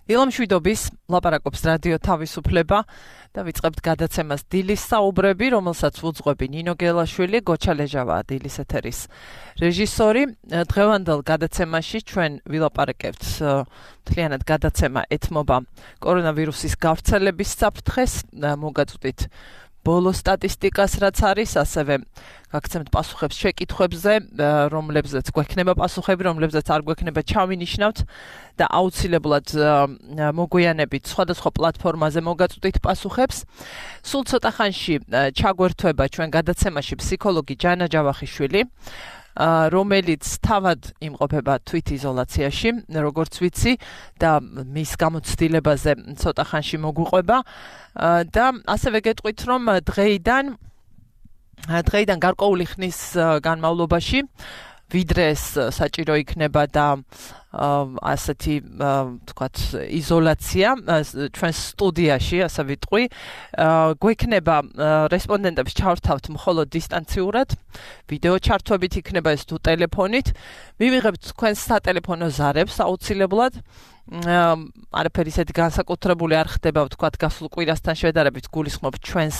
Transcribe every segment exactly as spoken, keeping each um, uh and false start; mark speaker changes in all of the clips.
Speaker 1: ილამშვიდობის ლაპარაკობს რადიო თავისუფლება და ვიწყებთ გადაცემას დილის საუბრები, რომელსაც უძღვები ნინო გელაშვილი, გოჩა ლეჟავაა დილის ეთერის რეჟისორი. დღევანდელ გადაცემაში ჩვენ ვილაპარაკებთ მთლიანად გადაცემა ეთმობა კორონავირუსის გავრცელების საფრთხეს, მოგაწვდით ბოლო სტატისტიკას რაც არის, ასევე გაგცემთ პასუხებს შეკითხვებზე, რომლებზეც გვექნება პასუხები, რომლებზეც არ გვექნება ჩავინიშნავთ და აუცილებლად მოგვიანებით სხვადასხვა პლატფორმაზე მოგაწვდით პასუხებს. სულ ცოტა ხანში ჩაგვერთვება ჩვენ გადაცემაში ფსიქოლოგი ჯანა ჯავახიშვილი, რომელიც თავად იმყოფება თვითიზოლაციაში, როგორც ვიცი, და მის გამოცდილებაზე ცოტა ხანში მოგვიყვება და ასევე გეტყვით, რომ დღეიდან დღეიდან გარკვეული ხნის განმავლობაში ვიდრე ეს საჭირო იქნება და ასეთი თქვათ იზოლაცია ჩვენ სტუდიაში, ასე ვიტყვი, გვექნება რესპონდენტებს ჩავრთავთ მხოლოდ დისტანციურად, ვიდეო ჩართვებით იქნება ეს თუ ტელეფონით, მივიღებთ თქვენს სატელეფონო ზარებს აუცილებლად. არაფერი ისეთი განსაკუთრებული არ ხდება, ვთქვათ, გასულ კვირასთან შედარებით გულისხმობ ჩვენს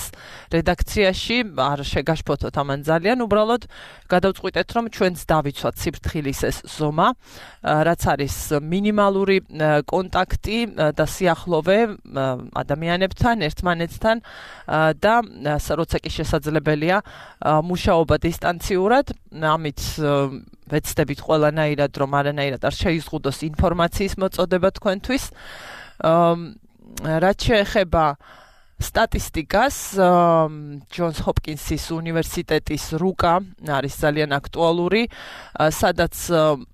Speaker 1: რედაქციაში, არ შეგაშფოთოთ ამან ძალიან, უბრალოდ გადავწყვიტეთ, რომ ჩვენც დავიცვათ სიფრთხილის ეს ზომა, რაც არის მინიმალური კონტაქტი და სიახლოვე ადამიანებთან, ერთმანეთთან და როცა კი შესაძლებელია მუშაობა დისტანციურად, ამით ვეცდებით ყველანაირად, რომ არანაირად არ შეიზღუდოს ინფორმაციის მოწოდება თქვენთვის. რაც შეეხება სტატისტიკას, ჯონს ჰოპკინსის უნივერსიტეტის რუკა არის ძალიან აქტუალური, სადაც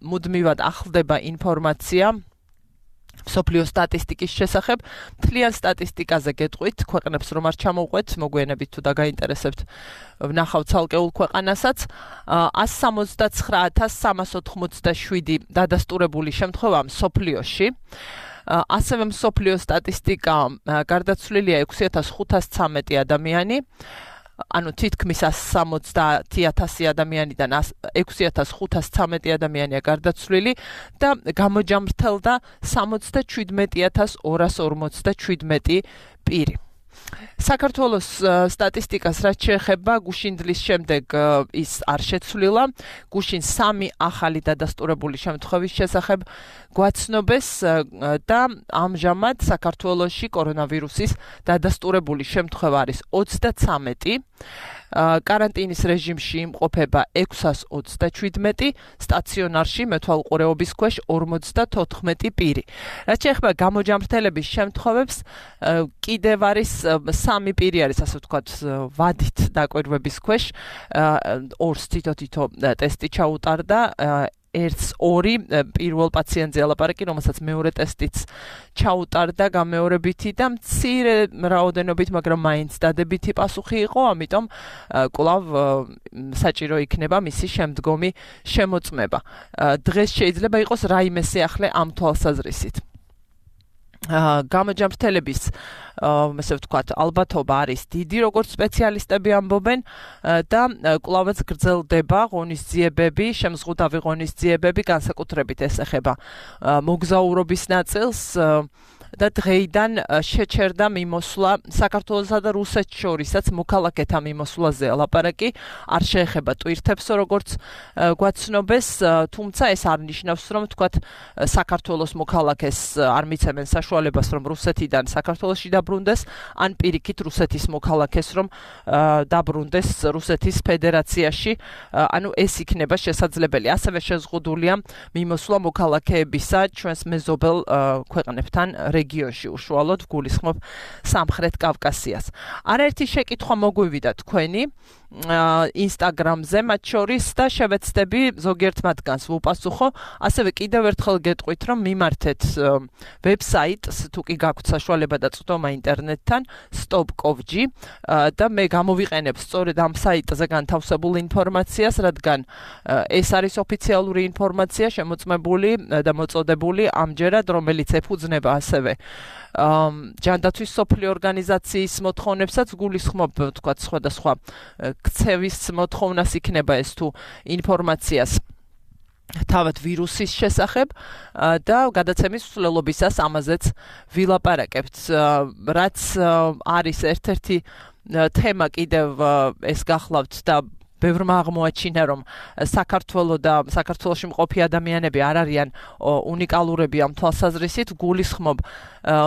Speaker 1: მუდმივად ახლდება ინფორმაცია მსოფლიო სტატისტიკის შესახებ. მთლიან სტატისტიკაზე გეტყვით, ქვეყნებს რომ არ ჩამოვყვეთ, მოგვიანებით თუ დაგაინტერესებთ, ვნახავთ ცალკეულ ქვეყანასაც. ას სამოცდაცხრა ათას სამას ოთხმოცდაშვიდი დადასტურებული შემთხვევა მსოფლიოში. ასევე მსოფლიო სტატისტიკა გარდაცვლილია ექვსი ათას ხუთას ცამეტი ადამიანი. ანუ თითქმის სამოცდაათი ათასი ადამიანიდან ექვსი ათას ხუთას ცამეტი ადამიანია გარდაცვლილი და გამოჯამრთელდა სამოცდაჩვიდმეტი ათას ორას ორმოცდაჩვიდმეტი პირი. საქართველოს სტატისტიკას რაც შეეხება, გუშინდლის შემდეგ ის არ შეცვლილა. გუშინ სამი ახალი დადასტურებული შემთხვევის შესახებ გვაცნობეს და ამჟამად საქართველოში კორონავირუსის დადასტურებული შემთხვევა არის ოცდაცამეტი. კარანტინის რეჟიმში იმყოფება ექვსას ოცდაჩვიდმეტი, სტაციონარში მეთვალყურეობის ქვეშ ორმოცდათოთხმეტი პირი. რაც შეეხება გამოჯამრთელების შემთხვევებს, კიდევ არის სამი პირი არის, ასე ვთქვათ, ვადით დაკვირვების ქვეშ, ორს თითო-თითო ტესტი ჩაუტარდა, ერთს ორი პირველ პაციენტზე ალაპარაკი, რომელსაც მეორე ტესტიც ჩაუტარდა გამეორებითი და მცირე რაოდენობით, მაგრამ მაინც დადებითი პასუხი იყო, ამიტომ კვლავ საჭირო იქნება მისი შემდგომი შემოწმება. დღეს შეიძლება იყოს რაიმე სიახლე ამ თვალსაზრისით. გამოჯამრთელების ასე ვთქვათ, ალბათობა არის დიდი, როგორც სპეციალისტები ამბობენ და კვლავაც გრძელდება ღონისძიებები, შემზღუდავი ღონისძიებები, განსაკუთრებით ეს ეხება მოგზაურობის ნაწილს და დღეიდან შეჩერდა მიმოსვლა საქართველოსა და რუსეთს შორისაც მოქალაქეთა მიმოსვლაზე ლაპარაკი, არ შეეხება ტვირთებს, როგორც გვაცნობეს, თუმცა ეს არ ნიშნავს, რომ თქვათ საქართველოს მოქალაქეს არ მიცემენ საშუალებას, რომ რუსეთიდან საქართველოში დაბრუნდეს, ან პირიქით რუსეთის მოქალაქეს, რომ დაბრუნდეს რუსეთის ფედერაციაში, ანუ ეს იქნება შესაძლებელი. ასევე შეზღუდულია მიმოსვლა მოქალაქეებისა ჩვენს მეზობელ ქვეყნებთან რეგიონში, უშუალოდ გულისხმობ სამხრეთ კავკასიას. არაერთი შეკითხვა მოგვივიდა თქვენი ინსტაგრამზე, მათ შორის და შევეცდები ზოგიერთ მათგანს ვუპასუხო. ასევე კიდევ ერთხელ გეტყვით, რომ მიმართეთ ვებსაიტს, თუ კი გაქვთ საშუალება და წვდომა ინტერნეტთან, stop dot gov dot g და მე გამოვიყენებ სწორედ ამ საიტზე განთავსებულ ინფორმაციას, რადგან ეს არის ოფიციალური ინფორმაცია შემოწმებული და მოწოდებული ამჯერად, რომელიც ეფუძნება ასევე ჯანდაცვის სოფლიო ორგანიზაციის მოთხოვნებსაც გულისხმობ, ვთქვათ, სხვადასხვა ქცევის მოთხოვნას იქნება ეს თუ ინფორმაციას თავად ვირუსის შესახებ და გადაცემის მსვლელობისას ამაზეც ვილაპარაკებთ. რაც არის ერთ-ერთი თემა კიდევ ეს გახლავთ და ბევრმა აღმოაჩინა, რომ საქართველო და საქართველოში მყოფი ადამიანები არ არიან უნიკალურები ამ თვალსაზრისით, გულისხმობ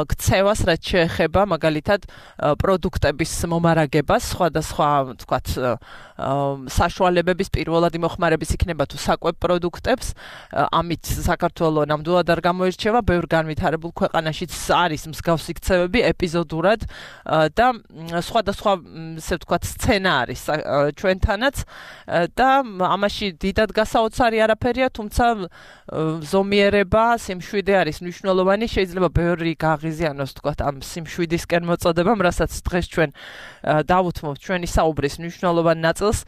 Speaker 1: ქცევას, რაც შეეხება მაგალითად პროდუქტების მომარაგებას, სხვადასხვა თქვათ საშუალებების პირველად იმოხმარების იქნება თუ საკვებ პროდუქტებს, ამით საქართველო ნამდვილად არ გამოირჩევა, ბევრ განვითარებულ ქვეყანაშიც არის მსგავსი ქცევები ეპიზოდურად და სხვადასხვა ესე ვთქვათ სცენა არის ჩვენთანაც და ამაში დიდად გასაოცარი არაფერია, თუმცა ზომიერება, სიმშვიდე არის მნიშვნელოვანი, შეიძლება ბევრი გაღიზიანოს თქვათ ამ სიმშვიდისკენ მოწოდებამ, რასაც დღეს ჩვენ დავუთმობთ ჩვენი საუბრის მნიშვნელოვან ნაწილს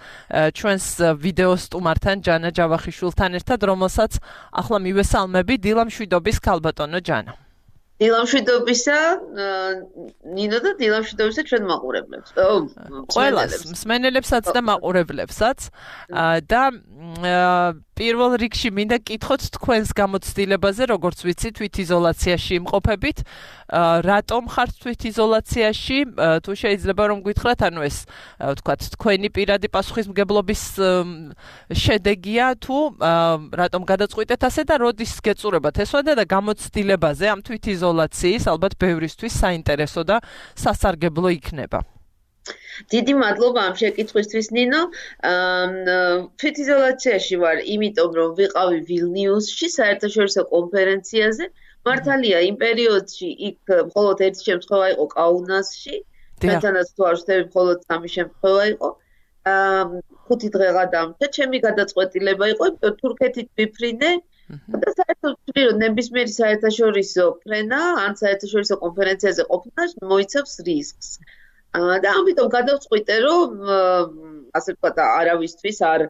Speaker 1: ჩვენს ვიდეო სტუმართან ჯანა ჯავახიშვილთან ერთად, რომელსაც ახლა მივესალმები. დილა მშვიდობის ქალბატონო ჯანა.
Speaker 2: დილა მშვიდობისა ნინო და დილა მშვიდობისა ჩვენ მაყურებლებს. ო,
Speaker 1: ყველას, მსმენელებსაც და მაყურებლებსაც და პირველ რიგში მინდა კითხოთ თქვენს გამოცდილებაზე, როგორც ვიცი, თვითიზოლაციაში იმყოფებით. რატომ ხართ თვითიზოლაციაში? თუ შეიძლება რომ გითხრათ, ანუ ეს ვთქვათ, თქვენი პირადი პასუხისმგებლობის შედეგია თუ რატომ გადაწყვიტეთ ასე და როდის გეწურებათ ესვადა და გამოცდილებაზე ამ თვითიზოლაციის ალბათ ბევრისთვის საინტერესო და სასარგებლო იქნება.
Speaker 2: დიდი მადლობა ამ შეკითხვისთვის ნინო. თვითიზოლაციაში ვარ, იმიტომ რომ ვიყავი ვილნიუსში საერთაშორისო კონფერენციაზე. მართალია, იმ პერიოდში იქ მხოლოდ ერთი შემთხვევა იყო კაუნასში. ჩვენთანაც თუ არ ვშთები, მხოლოდ სამი შემთხვევა იყო. ხუთი დღე გადამჭა. ჩემი გადაწყვეტილება იყო, თურქეთით ვიფრინე და საერთოდ ვთვლი, რომ ნებისმიერი საერთაშორისო ფრენა ან საერთაშორისო კონფერენციაზე ყოფნა მოიცავს რისკს. და ამიტომ გადავწყვიტე, რომ ასე ვთქვათ, არავისთვის არ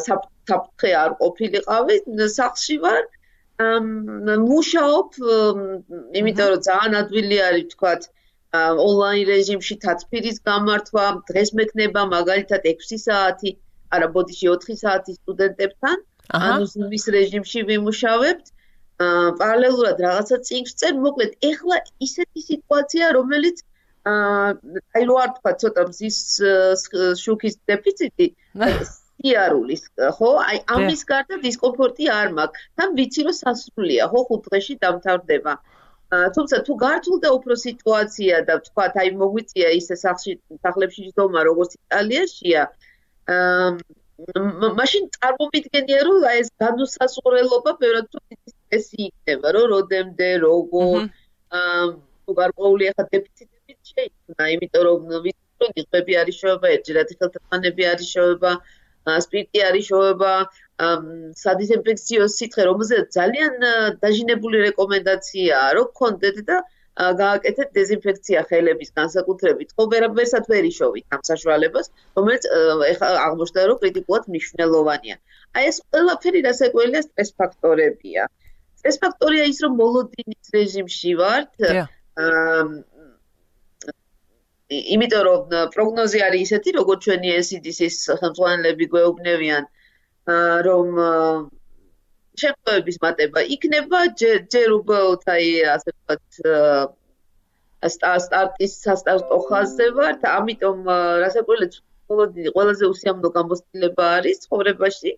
Speaker 2: საფრთხე არ ყოფილიყავი, სახლში ვარ, მუშაობ, იმიტომ რომ ძალიან ადვილი არის ვთქვათ, ონლაინ რეჟიმში თათბირის გამართვა, დღეს მექნება მაგალითად ექვსი საათი, არა ბოდიში ოთხი საათი სტუდენტებთან, ანუ ზუმის რეჟიმში ვიმუშავებთ. პარალელურად რაღაცა წიგნს წერ, მოკლედ, ეხლა ისეთი სიტუაცია, რომელიც აი რო არ თქვა ცოტა მზის შუქის დეფიციტი, სიარულის, ხო? აი ამის გარდა დისკომფორტი არ მაქვს. თან ვიცი რომ სასრულია, ხო, ხუთ დღეში დამთავრდება. თუმცა თუ გართულდა უფრო სიტუაცია და ვთქვათ, აი მოგვიწია ისე სახლში, სახლებში ჯდომა, როგორც იტალიაშია, მაშინ წარმოვიდგენია, რომ აი ეს განუსაზღვრელობა ბევრად თუ დიდი სტრესი იქნება, რომ როდემდე, როგორ, თუ გარკვეული ახლა დეფიციტებით შეიქმნა, იმიტომ რომ ვიცი რომ ღები არის შოება, ერთჯერადი ხელთათმანები არის შოება, სპირტი არის შოება, სადიზინფექციო სითხე, რომელზეც ძალიან დაჟინებული რეკომენდაციაა, რომ გქონდეთ და გააკეთეთ დეზინფექცია ხელების განსაკუთრებით. ხო, ვერასად ვერ იშოვით ამ საშუალებას, რომელიც ეხლა აღმოჩნდა, რომ კრიტიკულად მნიშვნელოვანია. აი ეს ყველაფერი რასაკვირველია სტრეს ფაქტორებია. სტრეს ფაქტორია ის, რომ მოლოდინის რეჟიმში ვართ. იმიტომ რომ პროგნოზი არის ისეთი, როგორც ჩვენი ეს ი დი სის ხელმძღვანელები გვეუბნებიან, რომ შემთხვევების მატება იქნება, ჯერ უბრალოდ აი ასე ვთქვათ სტარტის სასტარტო ხაზზე ვართ, ამიტომ რასაკვირველია მოლოდინი ყველაზე უსიამოვნო გამოცდილება არის ცხოვრებაში.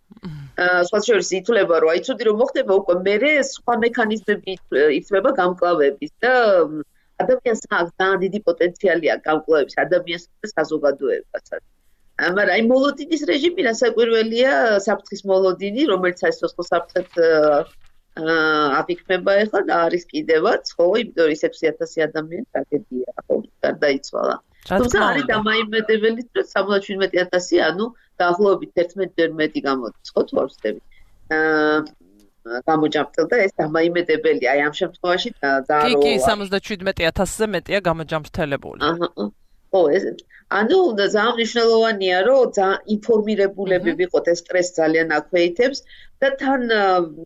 Speaker 2: სხვა შორის ითვლება, რომ აი ცუდი რომ მოხდება, უკვე მერე სხვა მექანიზმები იწვება გამკლავების და ადამიანს აქვს ძალიან დიდი პოტენციალი აქვს გამკლავების ადამიანსა და საზოგადოებასაც. მაგრამ აი მოლოდინის რეჟიმი რასაკვირველია, საფრთხის მოლოდინი, რომელიც აი სოცხო საფრთხეთ აღიქმება ახლა და არის კიდევაც, ხო, იმიტომ რომ ექვსი ათასი ადამიანი ტრაგედია, ხო, გარდაიცვალა. თუმცა არის დამაიმედებელი, რომ სამოცდაშვიდმეტი ათასი, ანუ დაახლოებით ერთმეტჯერ მეტი გამოდის, ხო, თუ არ ვცდები. გამოჯამრთელდა ეს დამაიმედებელი, აი ამ შემთხვევაში და
Speaker 1: კი, კი, სამოცდაშვიდმეტი ათასზე მეტია გამოჯამრთელებული.
Speaker 2: ხო, ეს ანუ ძალიან მნიშვნელოვანია, რომ ძალიან ინფორმირებულები ვიყოთ, ეს სტრესს ძალიან აქვეითებს და თან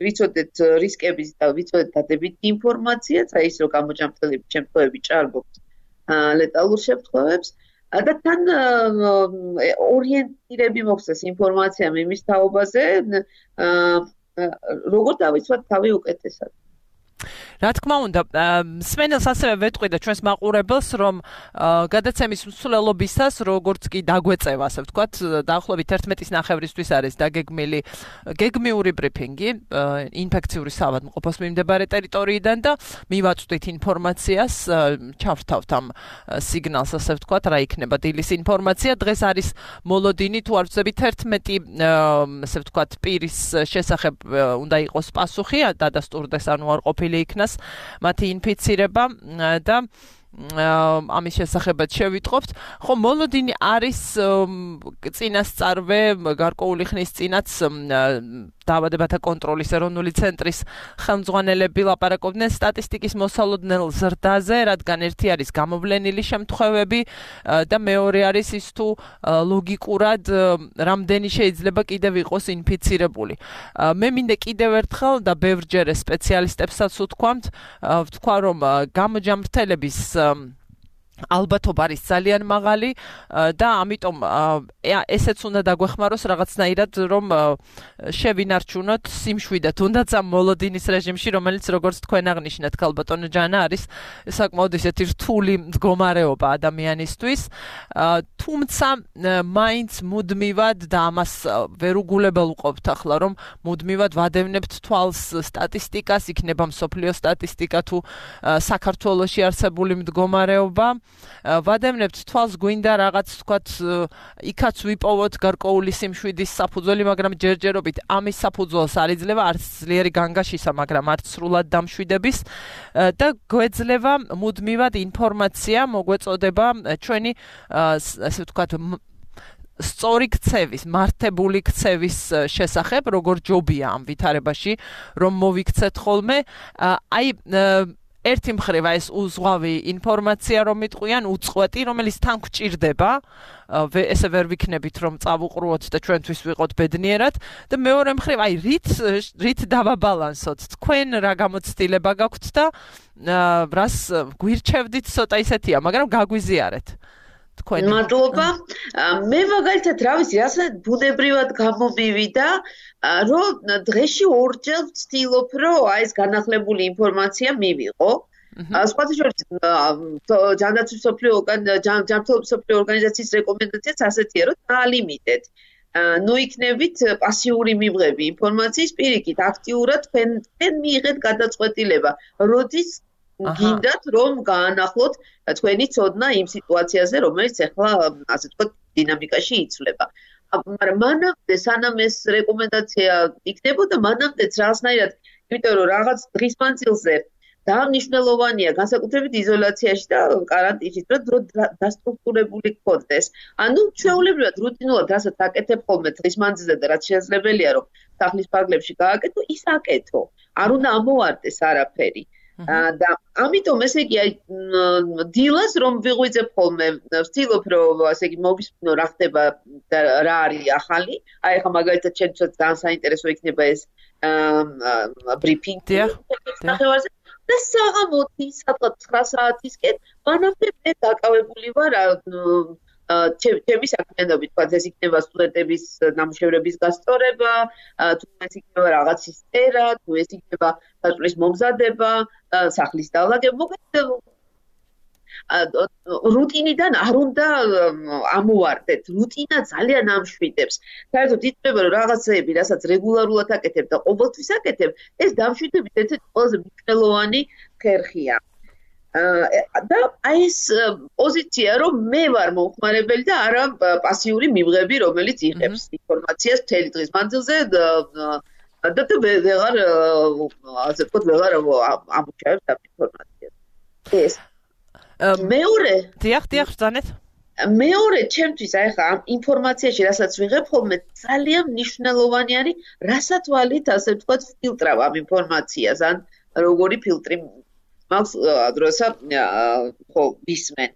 Speaker 2: ვიცოდეთ რისკების და ვიცოდეთ დადებითი ინფორმაციაც, აი ის რომ გამოჯამრთელების შემთხვევები ჭარბობს ლეტალურ შემთხვევებს და თან ორიენტირები მოხდეს ინფორმაციამ იმის თაობაზე, როგორ დავიცვათ თავი უკეთესად.
Speaker 1: რა თქმა უნდა, სმენელს ასევე ვეტყვი და ჩვენს მაყურებელს, რომ გადაცემის მსვლელობისას, როგორც კი დაგვეწევა, ასე ვთქვათ, დაახლოებით ერთმეტის ნახევრისთვის არის დაგეგმილი გეგმიური ბრიფინგი ინფექციური საავადმყოფოს მიმდებარე ტერიტორიიდან და მივაწვდით ინფორმაციას, ჩავრთავთ ამ სიგნალს, ასე ვთქვათ, რა იქნება დილის ინფორმაცია. დღეს არის მოლოდინი, თუ არ ვწდებით, ერთმეტი, ასე ვთქვათ, პირის შესახებ უნდა იყოს პასუხი, დადასტურდეს, ანუ არ ყოფილი იქნას მათი ინფიცირება და ამის შესახებაც შევიტყობთ. ხო, მოლოდინი არის წინასწარვე გარკვეული ხნის წინაც დაავადებათა კონტროლის ეროვნული ცენტრის ხელმძღვანელები ლაპარაკობდნენ სტატისტიკის მოსალოდნელ ზრდაზე, რადგან ერთი არის გამოვლენილი შემთხვევები და მეორე არის ის თუ ლოგიკურად რამდენი შეიძლება კიდევ იყოს ინფიცირებული. მე მინდა კიდევ ერთხელ და ბევრჯერ სპეციალისტებსაც ვთქვამთ, ვთქვა რომ გამოჯამრთელების ალბათობა არის ძალიან მაღალი და ამიტომ ესეც უნდა დაგვეხმაროს რაღაცნაირად, რომ შევინარჩუნოთ სიმშვიდე თუნდაც ამ მოლოდინის რეჟიმში, რომელიც როგორც თქვენ აღნიშნეთ, ქალბატონო ჯანა, არის საკმაოდ ისეთი რთული მდგომარეობა ადამიანისთვის. თუმცა მაინც მუდმივად და ამას ვერ უგულებელყოფთ ახლა, რომ მუდმივად ვადევნებთ თვალს სტატისტიკას, იქნება მსოფლიო სტატისტიკა თუ საქართველოში არსებული მდგომარეობა. ვადევნებთ თვალს, გვინდა რაღაც თქვათ იქაც ვიპოვოთ გარკვეული სიმშვიდის საფუძველი, მაგრამ ჯერჯერობით ამის საფუძველს არ იძლევა არც ძლიერი განგაშისა, მაგრამ არც სრულად დამშვიდების და გვეძლევა მუდმივად ინფორმაცია, მოგვეწოდება ჩვენი ასე ვთქვათ სწორი ქცევის, მართებული ქცევის შესახებ, როგორ ჯობია ამ ვითარებაში, რომ მოვიქცეთ ხოლმე. აი ერთი მხრივ ეს უზღვავი ინფორმაცია რომ მიტყვიან, უწყვეტი, რომელიც თან გვჭირდება, ესე ვერ ვიქნებით რომ წავუყრუოთ და ჩვენთვის ვიყოთ ბედნიერად და მეორე მხრივ აი რით რით დავაბალანსოთ, თქვენ რა გამოცდილება გაქვთ და რას გვირჩევდით, ცოტა ისეთია, მაგრამ გაგვიზიარეთ. თქვენ
Speaker 2: მადლობა. მე მაგალითად რა ვიცი, რასაც ბუნებრივად გამომივიდა, რომ დღეში ორჯერ ვცდილობ, რომ აი ეს განახლებული ინფორმაცია მივიღო. სხვათა შორის ჯანდაცვის მსოფლიო ჯანმრთელობის მსოფლიო ორგანიზაციის რეკომენდაციაც ასეთია, რომ დაალიმიტეთ. ნუ იქნებით პასიური მიღები ინფორმაციის, პირიქით აქტიურად თქვენ თქვენ მიიღეთ გადაწყვეტილება, როდის გინდათ რომ გაანახლოთ თქვენი ცოდნა იმ სიტუაციაზე, რომელიც ახლა ასე ვთქვათ დინამიკაში იცვლება. მაგრამ მანამდე სანამ ეს რეკომენდაცია იქნებოდა, მანამდეც რაღაცნაირად, იმიტომ რომ რაღაც დღის მანძილზე დანიშნულოვანია განსაკუთრებით იზოლაციაში და კარანტინში, რომ დასტრუქტურებული გქონდეს. ანუ ჩვეულებრივად რუტინულად რასაც აკეთებ ხოლმე დღის მანძილზე და რაც შესაძლებელია რომ სახლის ფარგლებში გააკეთო, ის აკეთო. არ უნდა ამოვარდეს არაფერი. და ამიტომ ესე იგი აი დილას რომ ვიღვიძებ ხოლმე, ვცდილობ რომ ასე იგი მოვისმინო რა ხდება და რა არის ახალი. აი ახლა მაგალითად ჩემთვის ძალიან საინტერესო იქნება ეს ბრიფინგი ნახევარზე და საღამოთი სადღაც ცხრა საათისკენ მანამდე მე დაკავებული ვარ ჩემი საქმიანობით, თქვა ეს იქნება სტუდენტების ნამუშევრების გასწორება, თუ ეს იქნება რაღაცის წერა, თუ ეს იქნება საწვლის მომზადება, სახლის დავლაგება, მოკლედ რუტინიდან არ უნდა ამოვარდეთ. რუტინა ძალიან ამშვიდებს. საერთოდ იწება რომ რაღაცეები, რასაც რეგულარულად აკეთებ და ყოველთვის აკეთებ, ეს დამშვიდებით ერთ-ერთი ყველაზე მნიშვნელოვანი ხერხია. და აი ეს პოზიცია რომ მე ვარ მომხმარებელი და არა პასიური მიღები, რომელიც იღებს ინფორმაციას მთელი დღის მანძილზე და და ვეღარ ასე ვთქვათ ვეღარ ამოჩავებს ამ ინფორმაციას. ეს მეორე
Speaker 1: დიახ, დიახ, ზანეთ.
Speaker 2: მეორე ჩემთვის აი ხა ამ ინფორმაციაში რასაც ვიღებ ხოლმე ძალიან მნიშვნელოვანი არის რასაც ვალით ასე ვთქვათ ფილტრავ ამ ინფორმაციას, ან როგორი ფილტრი მაქვს დროცა ხო ვისმენ.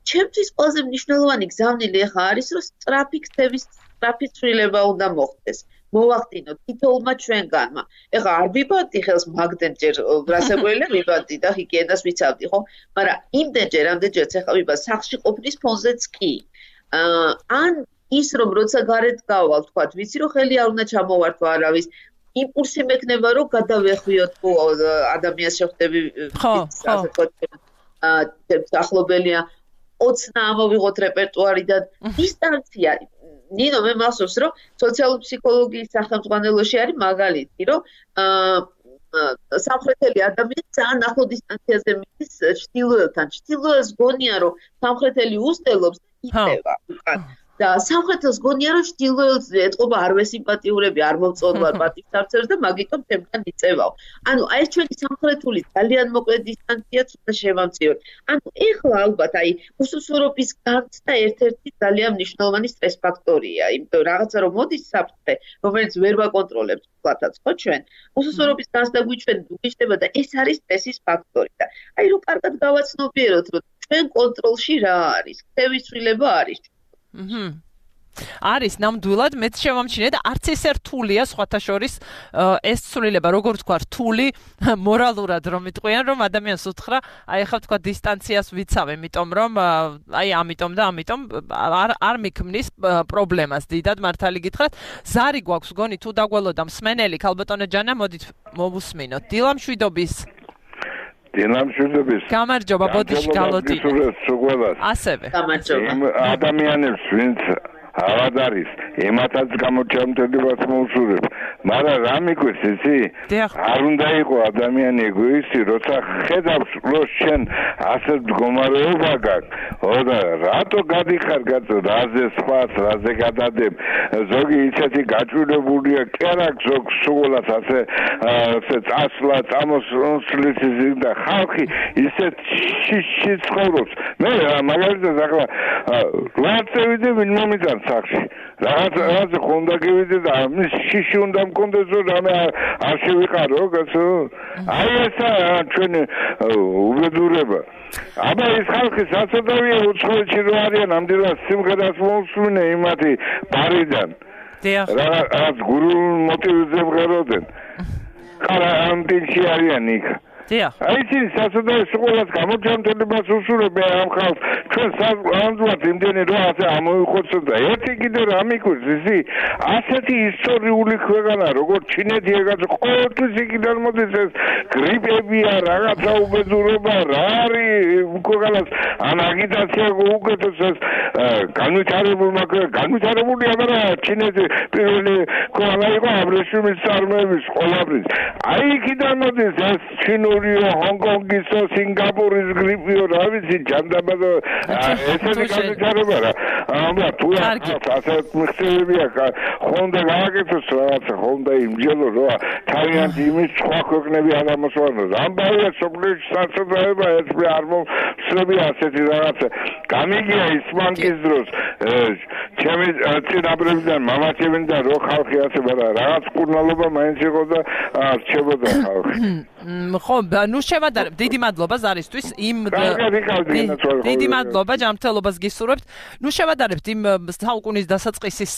Speaker 2: ჩემთვის ყველაზე მნიშვნელოვანი გზავნილი ახლა არის რომ სწრაფი ქცევის სწრაფი ცვლილება უნდა მოხდეს. მოვახდინოთ თითოეულმა ჩვენგანმა. ეხლა არ ვიბანდი ხელს მაგდენ ჯერ რასაკვირველია ვიბანდი და ჰიგიენას ვიცავდი, ხო? მაგრამ იმდენჯერ ამდენჯერაც ეხლა ვიბა სახლში ყოფნის ფონზეც კი. ან ის რომ როცა გარეთ გავალ, თქვა, ვიცი რომ ხელი არ უნდა ჩამოვართვა არავის. იმპულსი მექნება რომ გადავეხვიოთ თუ ადამიანს შეხვდები ასე თქვა ახლობელია ოცნა ამოვიღოთ რეპერტუარიდან დისტანცია ნინო მე მახსოვს რომ სოციალური ფსიქოლოგიის სახელმძღვანელოში არის მაგალითი რომ სამხრეთელი ადამიანი ძალიან ახლო დისტანციაზე მიდის ჩრდილოეთთან ჩრდილოეთს გონია რომ სამხრეთელი უსტელობს იწევა უკან და სამხრეთელს გონია რომ ჩრდილოეთს ეთყობა არ ვესიმპათიურები არ მოვწონვა პატივსაცემს და მაგიტომ თემთან იწევაო ანუ აი ჩვენი სამხრეთული ძალიან მოკლე დისტანციაც უნდა შევამწიოთ ანუ ეხლა ალბათ აი უსუსურობის განცდა ერთ-ერთი ძალიან მნიშვნელოვანი სტრეს ფაქტორია იმიტომ რაღაცა რომ მოდის საფრთხე რომელიც ვერ ვაკონტროლებთ ვთქვათაც ხო ჩვენ უსუსურობის განცდა გვიჩვენება და ეს არის სტრესის ფაქტორი და აი რომ კარგად გავაცნობიეროთ რომ ჩვენ კონტროლში რა არის ქცევის ცვლილება არის
Speaker 1: აჰა არის ნამდვილად მეც შევამჩნიე და არც ესე რთულია სხვათა შორის ეს ცვლილება როგორ თქვა რთული მორალურად რომ იტყვიან რომ ადამიანს უთხრა აი ახლა თქვა დისტანციას ვიცავ იმიტომ რომ აი ამიტომ და ამიტომ არ არ მიქმნის პრობლემას დიდად მართალი გითხრათ ზარი გვაქვს გონი თუ დაგველოდა მსმენელი ქალბატონო ჯანა მოდით მოვუსმინოთ დილა მშვიდობის
Speaker 3: დილა მშვიდობის
Speaker 1: გამარჯობა ბოდიში გალოტინა ასევე
Speaker 2: გამარჯობა
Speaker 3: ადამიანებს ვინც ავად არის ემათაც გამოჩამთელებას მოუსურებ მაგრამ რა მიგვეს ისი არ უნდა იყო ადამიანი ეგოისტი როცა ხედავს რომ შენ ასე მდგომარეობა გაქვს და რატო გადიხარ კაცო რაზე სხვას რაზე გადადებ ზოგი ისეთი გაჭირებულია კერაკ ზოგ სულას ასე ასე წასვლა წამოსulis და ხალხი ისეთ შიში ცხოვრობს მე მაგალითად ახლა რატო ვიდე ვინ მომიტან სახში რაღაც რაღაც ხონდა გივიდე და მის შიში უნდა მქონდეს რომ რამე არ შევიყარო კაცო აი ესა ჩვენ უბედურება აბა ეს ხალხი საწოდავია უცხოეთში რო არიან ამდენად სიმღერას მოусმინე იმათი ბარიდან რაღაც გურულ მოტივზე მღეროდნენ ხარა ამტინში არიან იქ აი ის სასწაულს ყოველას გამოჩამთელებას უსურებ ამ ხალხს ჩვენ სამდღაც იმდენი რო ასე ამოიხოცოთ და ერთი კიდე რა მიგვირს ისი ასეთი ისტორიული ქვეყანა როგორც ჩინეთი ეგაც ყოველთვის იქიდან მოდის ეს გრიპებია რაღაცა უბედურება რა არის ქვეყანას ან აგიტაცია უკეთოს ეს განვითარებულმა განვითარებული არა ჩინეთი პირველი ქვეყანა იყო აბრეშუმის წარმოების ყველაფრის აი იქიდან მოდის ეს ჩინო Hong-Kongის სინგაპურის გრიპიო რა ვიცი ჯანდაბადო ესეთი განვითარება რა აბა თუ ასე მიხსენებია ხონდა გააკეთოს რაღაცა ხონდა იმჯელო რა თავიანთი იმის სხვა ქვეყნები არ ამოსვანოს ამბავია სოფლიოში საწოდაება ეს არ მოსწრები ასეთი რაღაცა გამიგია ისმანკის დროს ჩემი წინაპრებიდან მამაჩემიდან რო ხალხი ასე რაღაც კურნალობა მაინც იყო და რჩებოდა ხალხი
Speaker 1: ხო ნუ შევადარებ დიდი მადლობა ზარისთვის იმ დიდი მადლობა ჯანმრთელობას გისურვებთ ნუ შევადარებთ იმ საუკუნის დასაწყისის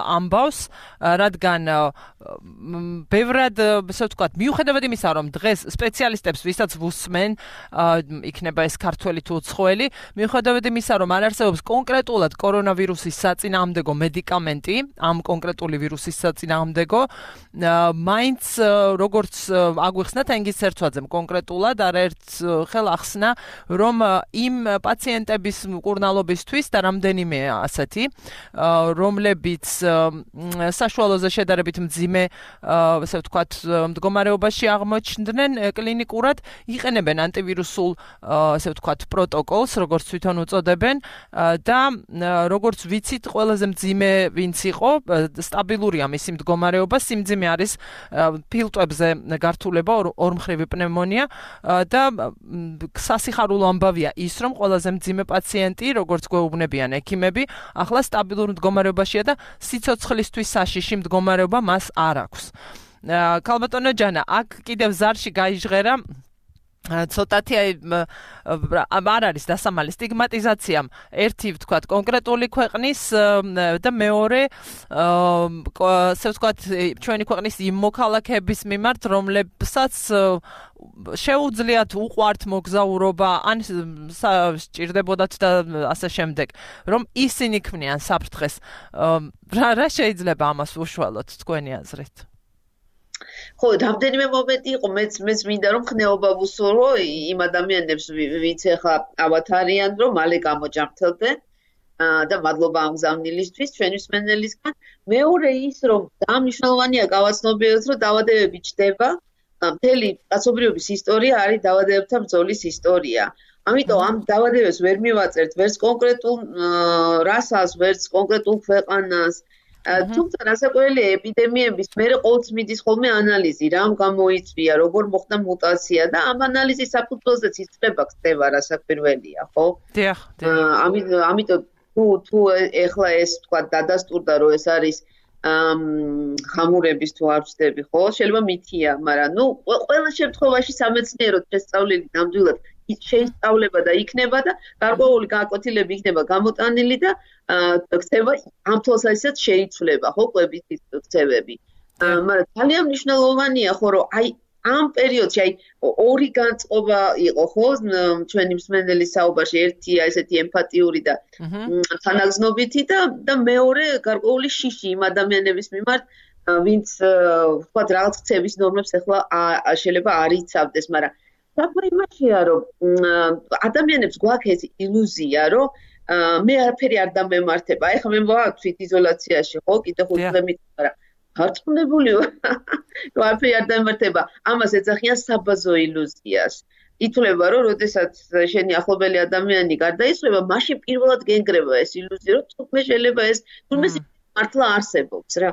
Speaker 1: ამბავს რადგან ბევრად ესე ვთქვათ მიუხედავად იმისა რომ დღეს სპეციალისტებს ვისაც ვუსმენ იქნება ეს ქართველი თუ უცხოელი მიუხედავად იმისა რომ არ არსებობს კონკრეტულად კორონავირუსის საწინააღმდეგო მედიკამენტი ამ კონკრეტული ვირუსის საწინააღმდეგო მაინც როგორც აგვიხსნა თენგიზ სერცვაძემ კონკრეტულად არაერთ ხელ ახსნა რომ იმ პაციენტების მკურნალობისთვის და რამდენიმე ასეთი რომლებიც საშუალოზე შედარებით მძიმე ასე ვთქვათ მდგომარეობაში აღმოჩნდნენ კლინიკურად იყენებენ ანტივირუსულ ასე ვთქვათ პროტოკოლს როგორც თვითონ უწოდებენ და როგორც ვიცით ყველაზე მძიმე ვინც იყო სტაბილურია მისი მდგომარეობა სიმძიმე არის ფილტვებზე გართულება ორმხრივი პნევმონია და სასიხარულო ამბავია ის რომ ყველაზე მძიმე პაციენტი როგორც გვეუბნებიან ექიმები ახლა სტაბილურ მდგომარეობაშია და სიცოცხლისთვის საშიში მდგომარეობა მას არ აქვს ქალბატონო ჯანა აქ კიდევ ზარში გაიჟღერა ცოტათი არ არის დასამალი სტიგმატიზაციამ ერთი ვთქვათ კონკრეტული ქვეყნის და მეორე ასე ვთქვათ ჩვენი ქვეყნის იმ მოქალაქეების მიმართ რომლებსაც შეუძლიათ უყვართ მოგზაურობა ან სჭირდებოდათ და ასე შემდეგ რომ ისინი ქმნიან საფრთხეს რა რა შეიძლება ამას უშუალოდ თქვენი აზრით
Speaker 2: ხო, რამდენიმე მომენტი იყო, მეც მეც მინდა რომ ხნეობა ვუსურო იმ ადამიანებს, ვინც ახლა ავათარიან, რომ მალე გამოჯამრთელდნენ და მადლობა ამ გზავნილისთვის ჩვენი მსმენელისგან. მეორე ის, რომ დამნიშნულოვანია გავაცნობიეროთ, რომ დაავადებები ჩდება, მთელი კაცობრიობის ისტორია არის დაავადებებთან ბრძოლის ისტორია. ამიტომ ამ დაავადებებს ვერ მივაწერთ ვერც კონკრეტულ რასას, ვერც კონკრეტულ ქვეყანას. თუმცა რასაკვირველია ეპიდემიების მერე ყოველთვის მიდის ხოლმე ანალიზი, რამ გამოიწვია, როგორ მოხდა მუტაცია და ამ ანალიზის საფუძველზეც იწება ხდება რასაკვირველია, ხო?
Speaker 1: დიახ,
Speaker 2: დიახ. ამიტომ თუ თუ ეხლა ეს თქვა დადასტურდა, რომ ეს არის ხამურების თუ არ ვწდები, ხო? შეიძლება მითია, მაგრამ ნუ ყველა შემთხვევაში სამეცნიერო შესწავლილი ნამდვილად შეისწავლება და იქნება და გარკვეული გაკვეთილები იქნება გამოტანილი და ქცევა ამ თვალსაზრისით შეიცვლება, ხო, კვებისის ქცევები. მაგრამ ძალიან მნიშვნელოვანია, ხო, რომ აი ამ პერიოდში აი ორი განწყობა იყო, ხო, ჩვენი მსმენელის საუბარში, ერთია ესეთი ემპათიური და თანაგზნობითი და და მეორე გარკვეული შიში იმ ადამიანების მიმართ, ვინც თქვა რაღაც ქცევის ნორმებს ახლა შეიძლება არ იცავდეს, მაგრამ საქმე იმაშია, რომ ადამიანებს გვაქვს ეს ილუზია, რომ მე არაფერი არ დამემართება. აი ხა მე ვარ თვით იზოლაციაში, ხო, კიდე ხუთ დღემდე, მაგრამ გარწმუნებული ვარ, რომ არაფერი არ დამემართება. ამას ეძახიან საბაზო ილუზიას. ითვლება, რომ როდესაც შენი ახლობელი ადამიანი გარდაიცვალა, მაშინ პირველად გენგრევა ეს ილუზია, რომ თუმცა შეიძლება ეს თუმცა მართლა არსებობს რა.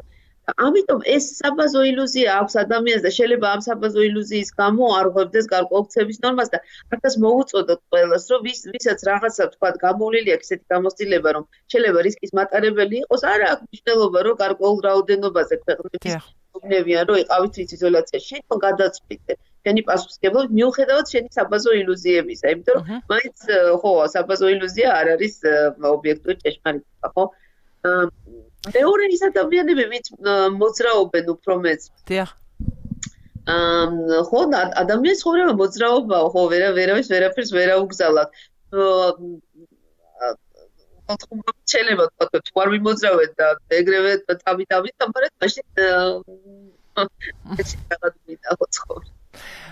Speaker 2: ამიტომ ეს საბაზო ილუზია აქვს ადამიანს და შეიძლება ამ საბაზო ილუზიის გამო არ ღვევდეს გარკვეულ ქცევის ნორმას და არც მოუწოდოთ ყველას, რომ ვის ვისაც რაღაცა თქვა გამოვლილი აქვს ესეთი გამოცდილება, რომ შეიძლება რისკის მატარებელი იყოს, არა აქვს მნიშვნელობა, რომ გარკვეულ რაოდენობაზე ქვეყნების უნებიან, რომ იყავით იზოლაციაში, შენ გადაწყვიტე. შენი პასუხისმგებლობით მიუხედავად შენი საბაზო ილუზიებისა, იმიტომ რომ მაინც ხო, საბაზო ილუზია არ არის ობიექტური ჭეშმარიტება, ხო? მეორე ის ადამიანები, ვინც მოძრაობენ უფრო მეც.
Speaker 1: დიახ.
Speaker 2: აა ხო, ადამიანის ცხოვრება მოძრაობაა, ხო, ვერა ვერავის ვერაფერს ვერ აუგზავნათ. აა შეიძლება თქვა, თუ არ მიმოძრავეთ და ეგრევე თავი-თავის თამარეთ, მაშინ ეს რაღაც მიტაო ცხოვრება.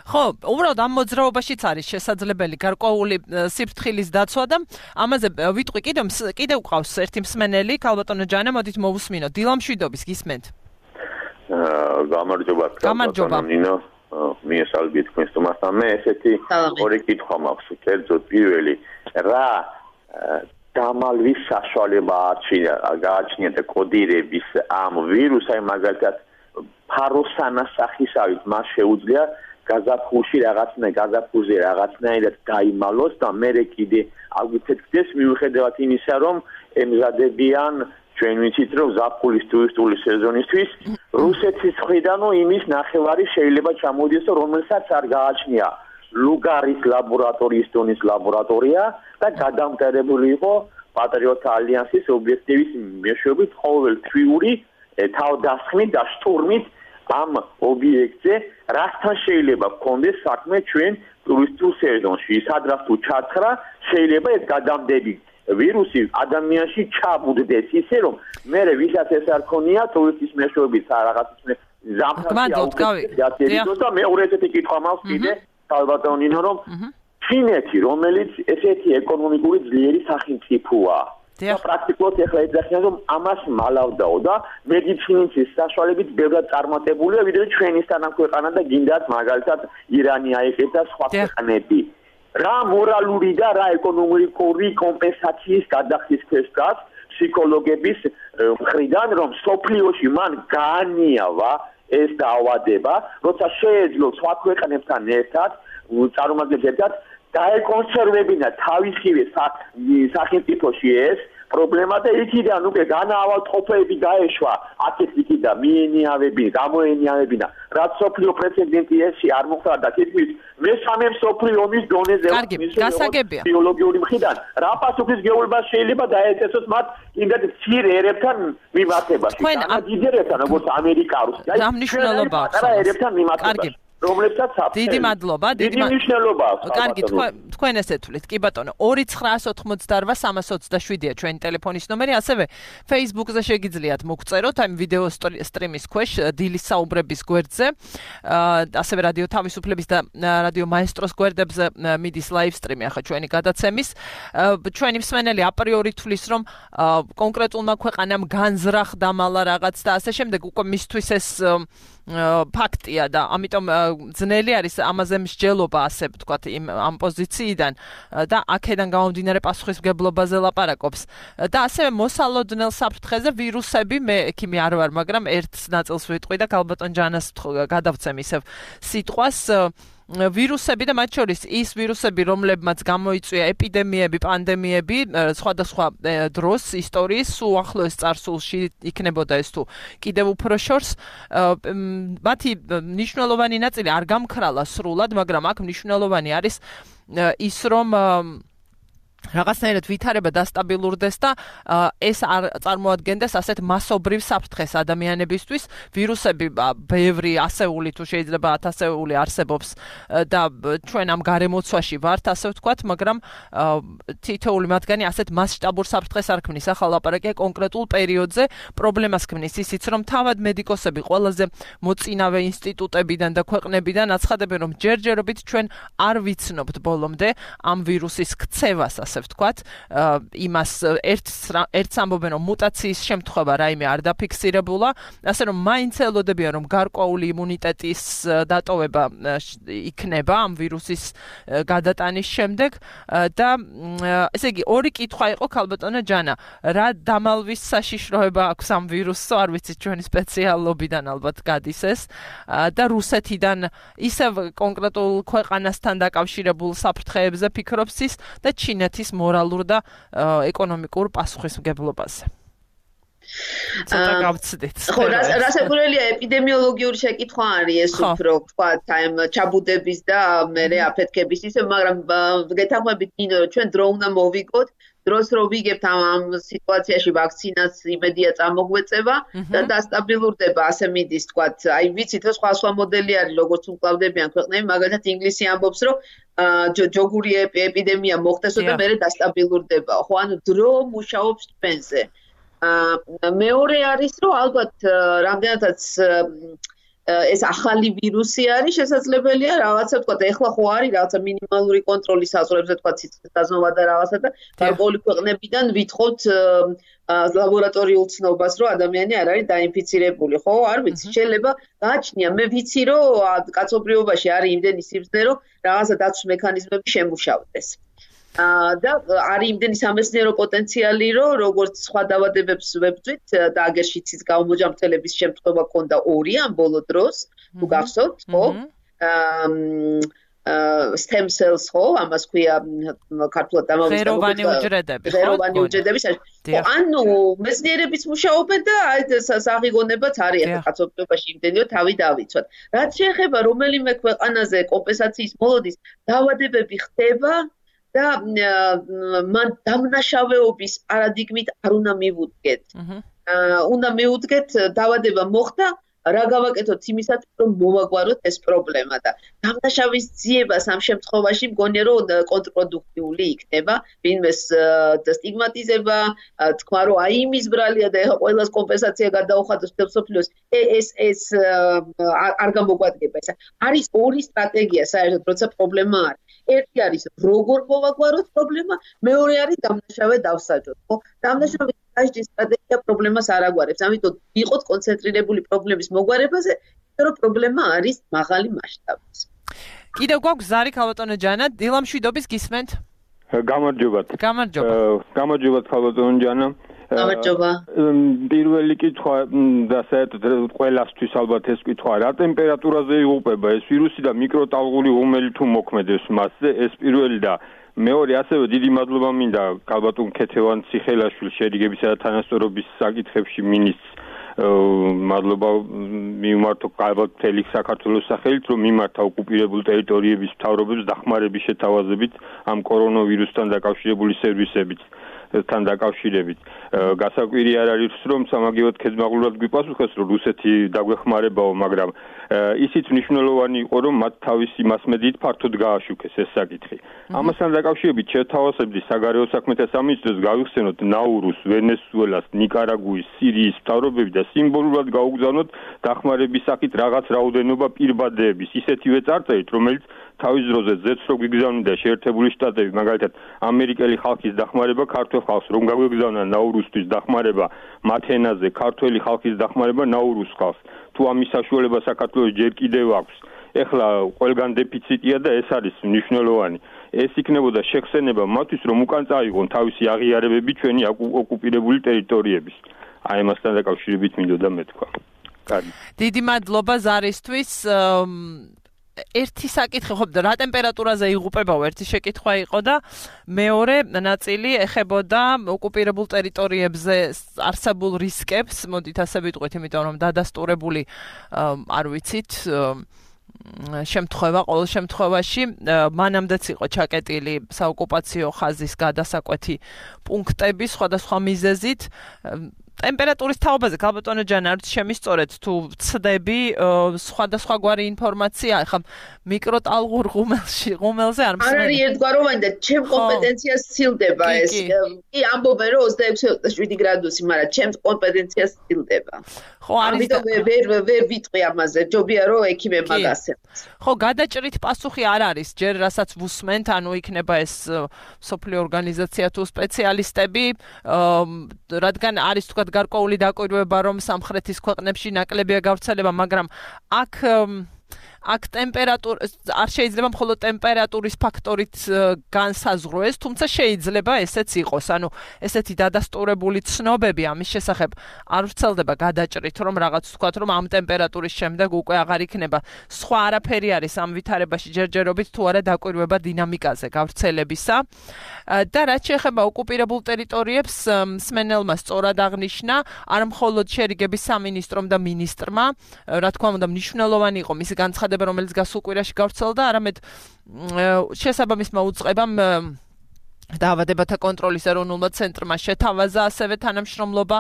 Speaker 1: ხო, უბრალოდ ამ მოძრაობაშიც არის შესაძლებელი გარკვეული სიფრთხილის დაცვა და ამაზე ვიტყვი კიდევ კიდევ ყავს ერთი მსმენელი, ქალბატონო ჯანა, მოდით მოვუსმინოთ. დილამშვიდობის გისმენთ.
Speaker 4: აა გამარჯობა, ქალბატონო ნინო. მიესალმები თქვენს თომასთან. მე ესეთი ორი კითხვა მაქვს. კერძოდ პირველი, რა დამალვის საშუალება გააჩნიათ კოდირების ამ ვირუსს, აი მაგალითად ფაროსანას სახისავით მას შეუძლია გაზაფხულში რაღაცნაირად გაზაფხულზე რაღაცნაირად დაიმალოს და მერე კიდე აგვიცეთქდეს მიუხედავად იმისა, რომ ემზადებიან ჩვენ ვიცით, რომ ზაფხულის ტურისტული სეზონისთვის რუსეთის მხრიდანო იმის ნახევარი შეიძლება ჩამოიდეს, რომელსაც არ გააჩნია ლუგარის ლაბორატორიის დონის ლაბორატორია და გადამტარებული იყო პატრიოტთა ალიანსის ობიექტივის მეშვეობით ყოველთვიური თავდასხმით და შტურმით ამ ობიექტზე, რასთან შეიძლება გქონდეს საქმე ჩვენ ტურისტულ სეზონში. სადღაც თუ ჩაცხრა, შეიძლება ეს გადამდები ვირუსი ადამიანში ჩაბუდდეს ისე, რომ მერე ვისაც ეს არ ქონია ტურისტის მეშვეობით რაღაც ზამთარში და მეორე ესეთი კითხვა მაქვს კიდე ქალბატონო ნინო, რომ ჩინეთი, რომელიც ესეთი ეკონომიკური ძლიერი სახელმწიფოა და პრაქტიკულად ეხლა ეძახიან, რომ ამას მალავდაო და მედიცინის საშუალებით ბევრად წარმატებულია, ვიდრე ჩვენისთანამ ქვეყანა და გინდათ მაგალითად ირანი აიყეთ და სხვა ქვეყნები. რა მორალური და რა ეკონომიკური კომპენსაციის გადახდის ქვეშ დგას ფსიქოლოგების მხრიდან, რომ სოფლიოში მან გაანიავა ეს დაავადება, როცა შეეძლო სხვა ქვეყნებთან ერთად, წარმომადგენლებს ერთად დაეკონსერვებინა თავისივე სახელმწიფოში ეს პრობლემა და იქიდან უკვე განაავადმყოფები გაეშვა აკეთიკი და მიენიავებინა, გამოენიავებინა, რაც სოფლიო პრეცედენტი ესე არ მოხდა და თითქმის მესამე მსოფლიო ომის დონეზე ბიოლოგიური მხრიდან რა პასუხისმგებლობა შეიძლება დაეწესოს მათ იმდად მცირე ერებთან მიმართებაში, თანა დიდ ერებთან, როგორც ამერიკა, რუსია,
Speaker 1: რა მნიშვნელობა აქვს
Speaker 4: ერებთან მიმართებაში. რომლებსაც აქვს.
Speaker 1: დიდი მადლობა,
Speaker 4: დიდი მნიშვნელობა აქვს.
Speaker 1: კარგი, თქვენ ესე თვლით. კი ბატონო, ორი ცხრაას ოთხმოცდაოთხ სამას ოცდაშვიდია ჩვენი ტელეფონის ნომერი, ასევე Facebook-ზე შეგიძლიათ მოგწეროთ ამ ვიდეო სტრიმის ქვეშ დილის საუბრების გვერდზე. ასევე რადიო თავისუფლების და რადიო მაესტროს გვერდებზე მიდის ლაივ სტრიმი ახლა ჩვენი გადაცემის. ჩვენი მსმენელი აპრიორი თვლის, რომ კონკრეტულმა ქვეყანამ განზრახდა მალა რაღაც და ასე შემდეგ, უკვე მისთვის ეს ფაქტია და ამიტომ ძნელი არის ამაზე მსჯელობა, ასე ვთქვათ, იმ ამ პოზიციიდან და აქედან გამომდინარე პასუხისმგებლობაზე ლაპარაკობს. და ასევე მოსალოდნელ საფრთხეზე ვირუსები, მე ექიმი არ ვარ, მაგრამ ერთ ნაწილს ვიტყვი და ქალბატონ ჯანას გადავცემ ისევ სიტყვას. ვირუსები და მათ შორის ის ვირუსები, რომლებმაც გამოიწვია ეპიდემიები, პანდემიები, სხვადასხვა დროს ისტორიის უახლოეს წარსულში იქნებოდა ეს თუ კიდევ უფრო შორს, მათი მნიშვნელოვანი ნაწილი არ გამქრალა სრულად, მაგრამ აქ მნიშვნელოვანი არის ის, რომ რაღაცნაირად ვითარება დასტაბილურდეს და ეს არ წარმოადგენდეს ასეთ მასობრივ საფრთხეს ადამიანებისთვის. ვირუსები ბევრი ასეული თუ შეიძლება ათასეული არსებობს და ჩვენ ამ გარემოცვაში ვართ, ასე ვთქვათ, მაგრამ თითოეული მათგანი ასეთ მასშტაბურ საფრთხეს არ ქმნის. ახლა ლაპარაკია კონკრეტულ პერიოდზე, პრობლემას ქმნის ისიც, რომ თავად მედიკოსები ყველაზე მოწინავე ინსტიტუტებიდან და ქვეყნებიდან აცხადებენ, რომ ჯერჯერობით ჩვენ არ ვიცნობთ ბოლომდე ამ ვირუსის ქცევას, ასე ვთქვათ, იმას ერთს ერთს ამბობენ, რომ მუტაციის შემთხვევა რაიმე არ დაფიქსირებულა, ასე რომ მაინც ელოდებიან, რომ გარკვეული იმუნიტეტის დატოვება იქნება ამ ვირუსის გადატანის შემდეგ და ესე იგი ორი კითხვა იყო ქალბატონო ჯანა, რა დამალვის საშიშროება აქვს ამ ვირუსს, არ ვიცი, ჩვენი სპეციალობიდან ალბათ გადის ეს და რუსეთიდან ისევ კონკრეტულ ქვეყანასთან დაკავშირებულ საფრთხეებზე ფიქრობს ის და ჩინეთის მორალურ და ეკონომიკურ პასუხისმგებლობაზე. ცოტა გავცდით.
Speaker 2: ხო, რასაკვირველია, ეპიდემიოლოგიური შეკითხვა არის ეს უფრო, ვთქვათ, აი ჩაბუდების და მერე აფეთქების ისე, მაგრამ გეთანხმებით, ნინო, ჩვენ დრო უნდა მოვიგოთ, დროს რო ვიგებთ ამ სიტუაციაში ვაქცინას იმედია წამოგვეწევა და დასტაბილურდება, ასე მიდის, ვთქვათ, აი ვიცით, რომ სხვა სხვა მოდელი არის, როგორც უკლავდებიან ქვეყნები, მაგალითად ინგლისი ამბობს, რომ ჯოგური ეპიდემია მოხდესო და მერე დასტაბილურდება. ხო, ანუ დრო მუშაობს ჩვენზე. მეორე არის, რომ ალბათ რამდენადაც ეს ახალი ვირუსი არის, შესაძლებელია რაღაცა, ვთქვათ, ეხლა ხო არის რაღაცა მინიმალური კონტროლის საზღვრებზე, ვთქვათ, სიცხეს დაზნობა და რაღაცა და გარკვეული ქვეყნებიდან ვითხოვთ ლაბორატორიულ ცნობას, რომ ადამიანი არ არის დაინფიცირებული, ხო? არ ვიცი, შეიძლება გააჩნია, მე ვიცი, რომ კაცობრიობაში არის იმდენი სიბრძნე, რომ რაღაცა დაცვის მექანიზმები შემუშავდეს. და არის იმდენი სამეცნიერო პოტენციალი, რომ როგორც სხვა დაავადებებს ვებრძვით და აგერ შიცის გამომოჯამრთელების შემთხვევა ქონდა ორი ამ ბოლო დროს, თუ გახსოვთ, ხო? stem cells ხო, ამას ქვია ქართულად ამავე
Speaker 1: ღეროვანი უჯრედები, ხო?
Speaker 2: ღეროვანი უჯრედები. ანუ მეცნიერებიც მუშაობენ და აი საღიგონებაც არის ახლა კაცობრიობაში იმდენიო თავი დავიცვათ. რაც შეეხება რომელიმე ქვეყანაზე კომპენსაციის მოლოდის დაავადებები ხდება და მან დამნაშავეობის პარადიგმით არ უნდა მივუდგეთ. უნდა მივუდგეთ დაავადება მოხდა, რა გავაკეთოთ იმისათვის, რომ მოვაგვაროთ ეს პრობლემა და დამნაშავის ძიებას ამ შემთხვევაში მგონია, რომ კონტრპროდუქტიული იქნება, ვინმეს სტიგმატიზება, თქვა, რომ აი იმის ბრალია და ეხლა ყველას კომპენსაცია გადაუხადოს მსოფლიოს, ეს ეს არ გამოგვადგება ეს. არის ორი სტრატეგია საერთოდ, როცა პრობლემა არის. ერთი არის როგორ მოვაგვაროთ პრობლემა, მეორე არის დამნაშავე დავსაჯოთ, ხო? დამნაშავე დაჟდის სტრატეგია პრობლემას არ აგვარებს, ამიტომ ვიყოთ კონცენტრირებული პრობლემის მოგვარებაზე, იმიტომ რომ პრობლემა არის მაღალი მასშტაბის.
Speaker 1: კიდევ გვაქვს ზარი ქალბატონო ჯანა, დილამშვიდობის გისმენთ?
Speaker 3: გამარჯობათ.
Speaker 1: გამარჯობა.
Speaker 3: გამარჯობათ ქალბატონო ჯანა.
Speaker 2: გამარჯობა.
Speaker 3: პირველი კითხვა და საერთოდ ყველასთვის ალბათ ეს კითხვა, რა ტემპერატურაზე იღუპება ეს ვირუსი და მიკროტალღური ღუმელი თუ მოქმედებს მასზე, ეს პირველი და მეორე ასევე დიდი მადლობა მინდა ქალბატონ ქეთევან ციხელაშვილ შერიგებისა და თანასწორობის საკითხებში მინისტრს მადლობა მიმართო ალბათ მთელი საქართველოს სახელით, რომ მიმართა ოკუპირებულ ტერიტორიების მთავრობებს დახმარების შეთავაზებით ამ კორონავირუსთან დაკავშირებული სერვისებით.
Speaker 5: თან დაკავშირებით. გასაკვირი არ არის, რომ სამაგიეროდ ქედმაღლურად გვიპასუხეს, რომ რუსეთი დაგვეხმარებაო, მაგრამ ისიც მნიშვნელოვანი იყო, რომ მათ თავისი მასმედიით ფართოდ გააშუქეს ეს საკითხი. ამასთან დაკავშირებით შეთავაზებდი საგარეო საქმეთა სამინისტროს გავიხსენოთ ნაურუს, ვენესუელას, ნიკარაგუის, სირიის მთავრობები და სიმბოლურად გაუგზავნოთ დახმარების სახით რაღაც რაოდენობა პირბადეების ისეთივე წარწერით, რომელიც თავის დროზე ზეთს რო გვიგზავნიდა შეერთებული შტატები, მაგალითად ამერიკელი ხალხის დახმარება ქართულ ხალხს, რომ გაგვიგზავნა ნაურუსთვის დახმარება მათ ენაზე, ქართველი ხალხის დახმარება ნაურუს ხალხს. თუ ამის საშუალება საქართველოს ჯერ კიდევ აქვს. ეხლა ყველგან დეფიციტია და ეს არის მნიშვნელოვანი. ეს იქნებოდა შეხსენება მათთვის, რომ უკან წაიღონ თავისი აღიარებები ჩვენი ოკუპირებული ტერიტორიების. აი ამასთან დაკავშირებით მინდოდა მეთქვა. კარგი.
Speaker 1: დიდი მადლობა ზარისთვის. ერთი საკითხი ხო რა ტემპერატურაზე იღუპებაო ერთი შეკითხვა იყო და მეორე ნაწილი ეხებოდა ოკუპირებულ ტერიტორიებზე არსებულ რისკებს, მოდით ასე ვიტყვით, იმიტომ რომ დადასტურებული არ ვიცით შემთხვევა ყოველ შემთხვევაში მანამდეც იყო ჩაკეტილი საოკუპაციო ხაზის გადასაკვეთი პუნქტები სხვადასხვა მიზეზით. ტემპერატურის თაობაზე ქალბატონო ჯანა არ შემისწორეთ თუ ვცდები სხვადასხვაგვარი ინფორმაცია ახლა მიკროტალღურ ღუმელში ღუმელზე არ
Speaker 2: მსმენელი არ არის ერთგვაროვანი და ჩემ კომპეტენციას სცილდება ეს კი ამბობენ რომ ოცდაექვსი ოცდაშვიდი გრადუსი მაგრამ ჩემ კომპეტენციას სცილდება
Speaker 1: ხო არის
Speaker 2: ამიტომ ვერ ვერ ვიტყვი ამაზე ჯობია რომ ექიმებმა გასცემოს
Speaker 1: ხო გადაჭრით პასუხი არ არის ჯერ რასაც ვუსმენთ ანუ იქნება ეს სოფლიო ორგანიზაცია თუ სპეციალისტები რადგან არის თქვა გარკვეული დაკვირვება რომ სამხრეთის ქვეყნებში ნაკლებია გავრცელება მაგრამ აქ აქ ტემპერატურა არ შეიძლება მხოლოდ ტემპერატურის ფაქტორით განსაზღვროს, თუმცა შეიძლება ესეც იყოს. ანუ ესეთი დადასტურებული ცნობები ამის შესახებ არ ვრცელდება გადაჭრით, რომ რაღაც ვთქვათ, რომ ამ ტემპერატურის შემდეგ უკვე აღარ იქნება. სხვა არაფერი არის ამ ვითარებაში ჯერჯერობით თუ არა დაკვირვება დინამიკაზე გავრცელებისა. და რაც შეეხება ოკუპირებულ ტერიტორიებს, მსმენელმა სწორად აღნიშნა, არ მხოლოდ შერიგების სამინისტრომ და მინისტრმა, რა თქმა უნდა, მნიშვნელოვანი იყო მისი განცხადება რომელიც გასულ კვირაში გავრცელდა, არამედ შესაბამისმა უწყებამ დაავადებათა კონტროლის ეროვნულმა ცენტრმა შეთავაზა ასევე თანამშრომლობა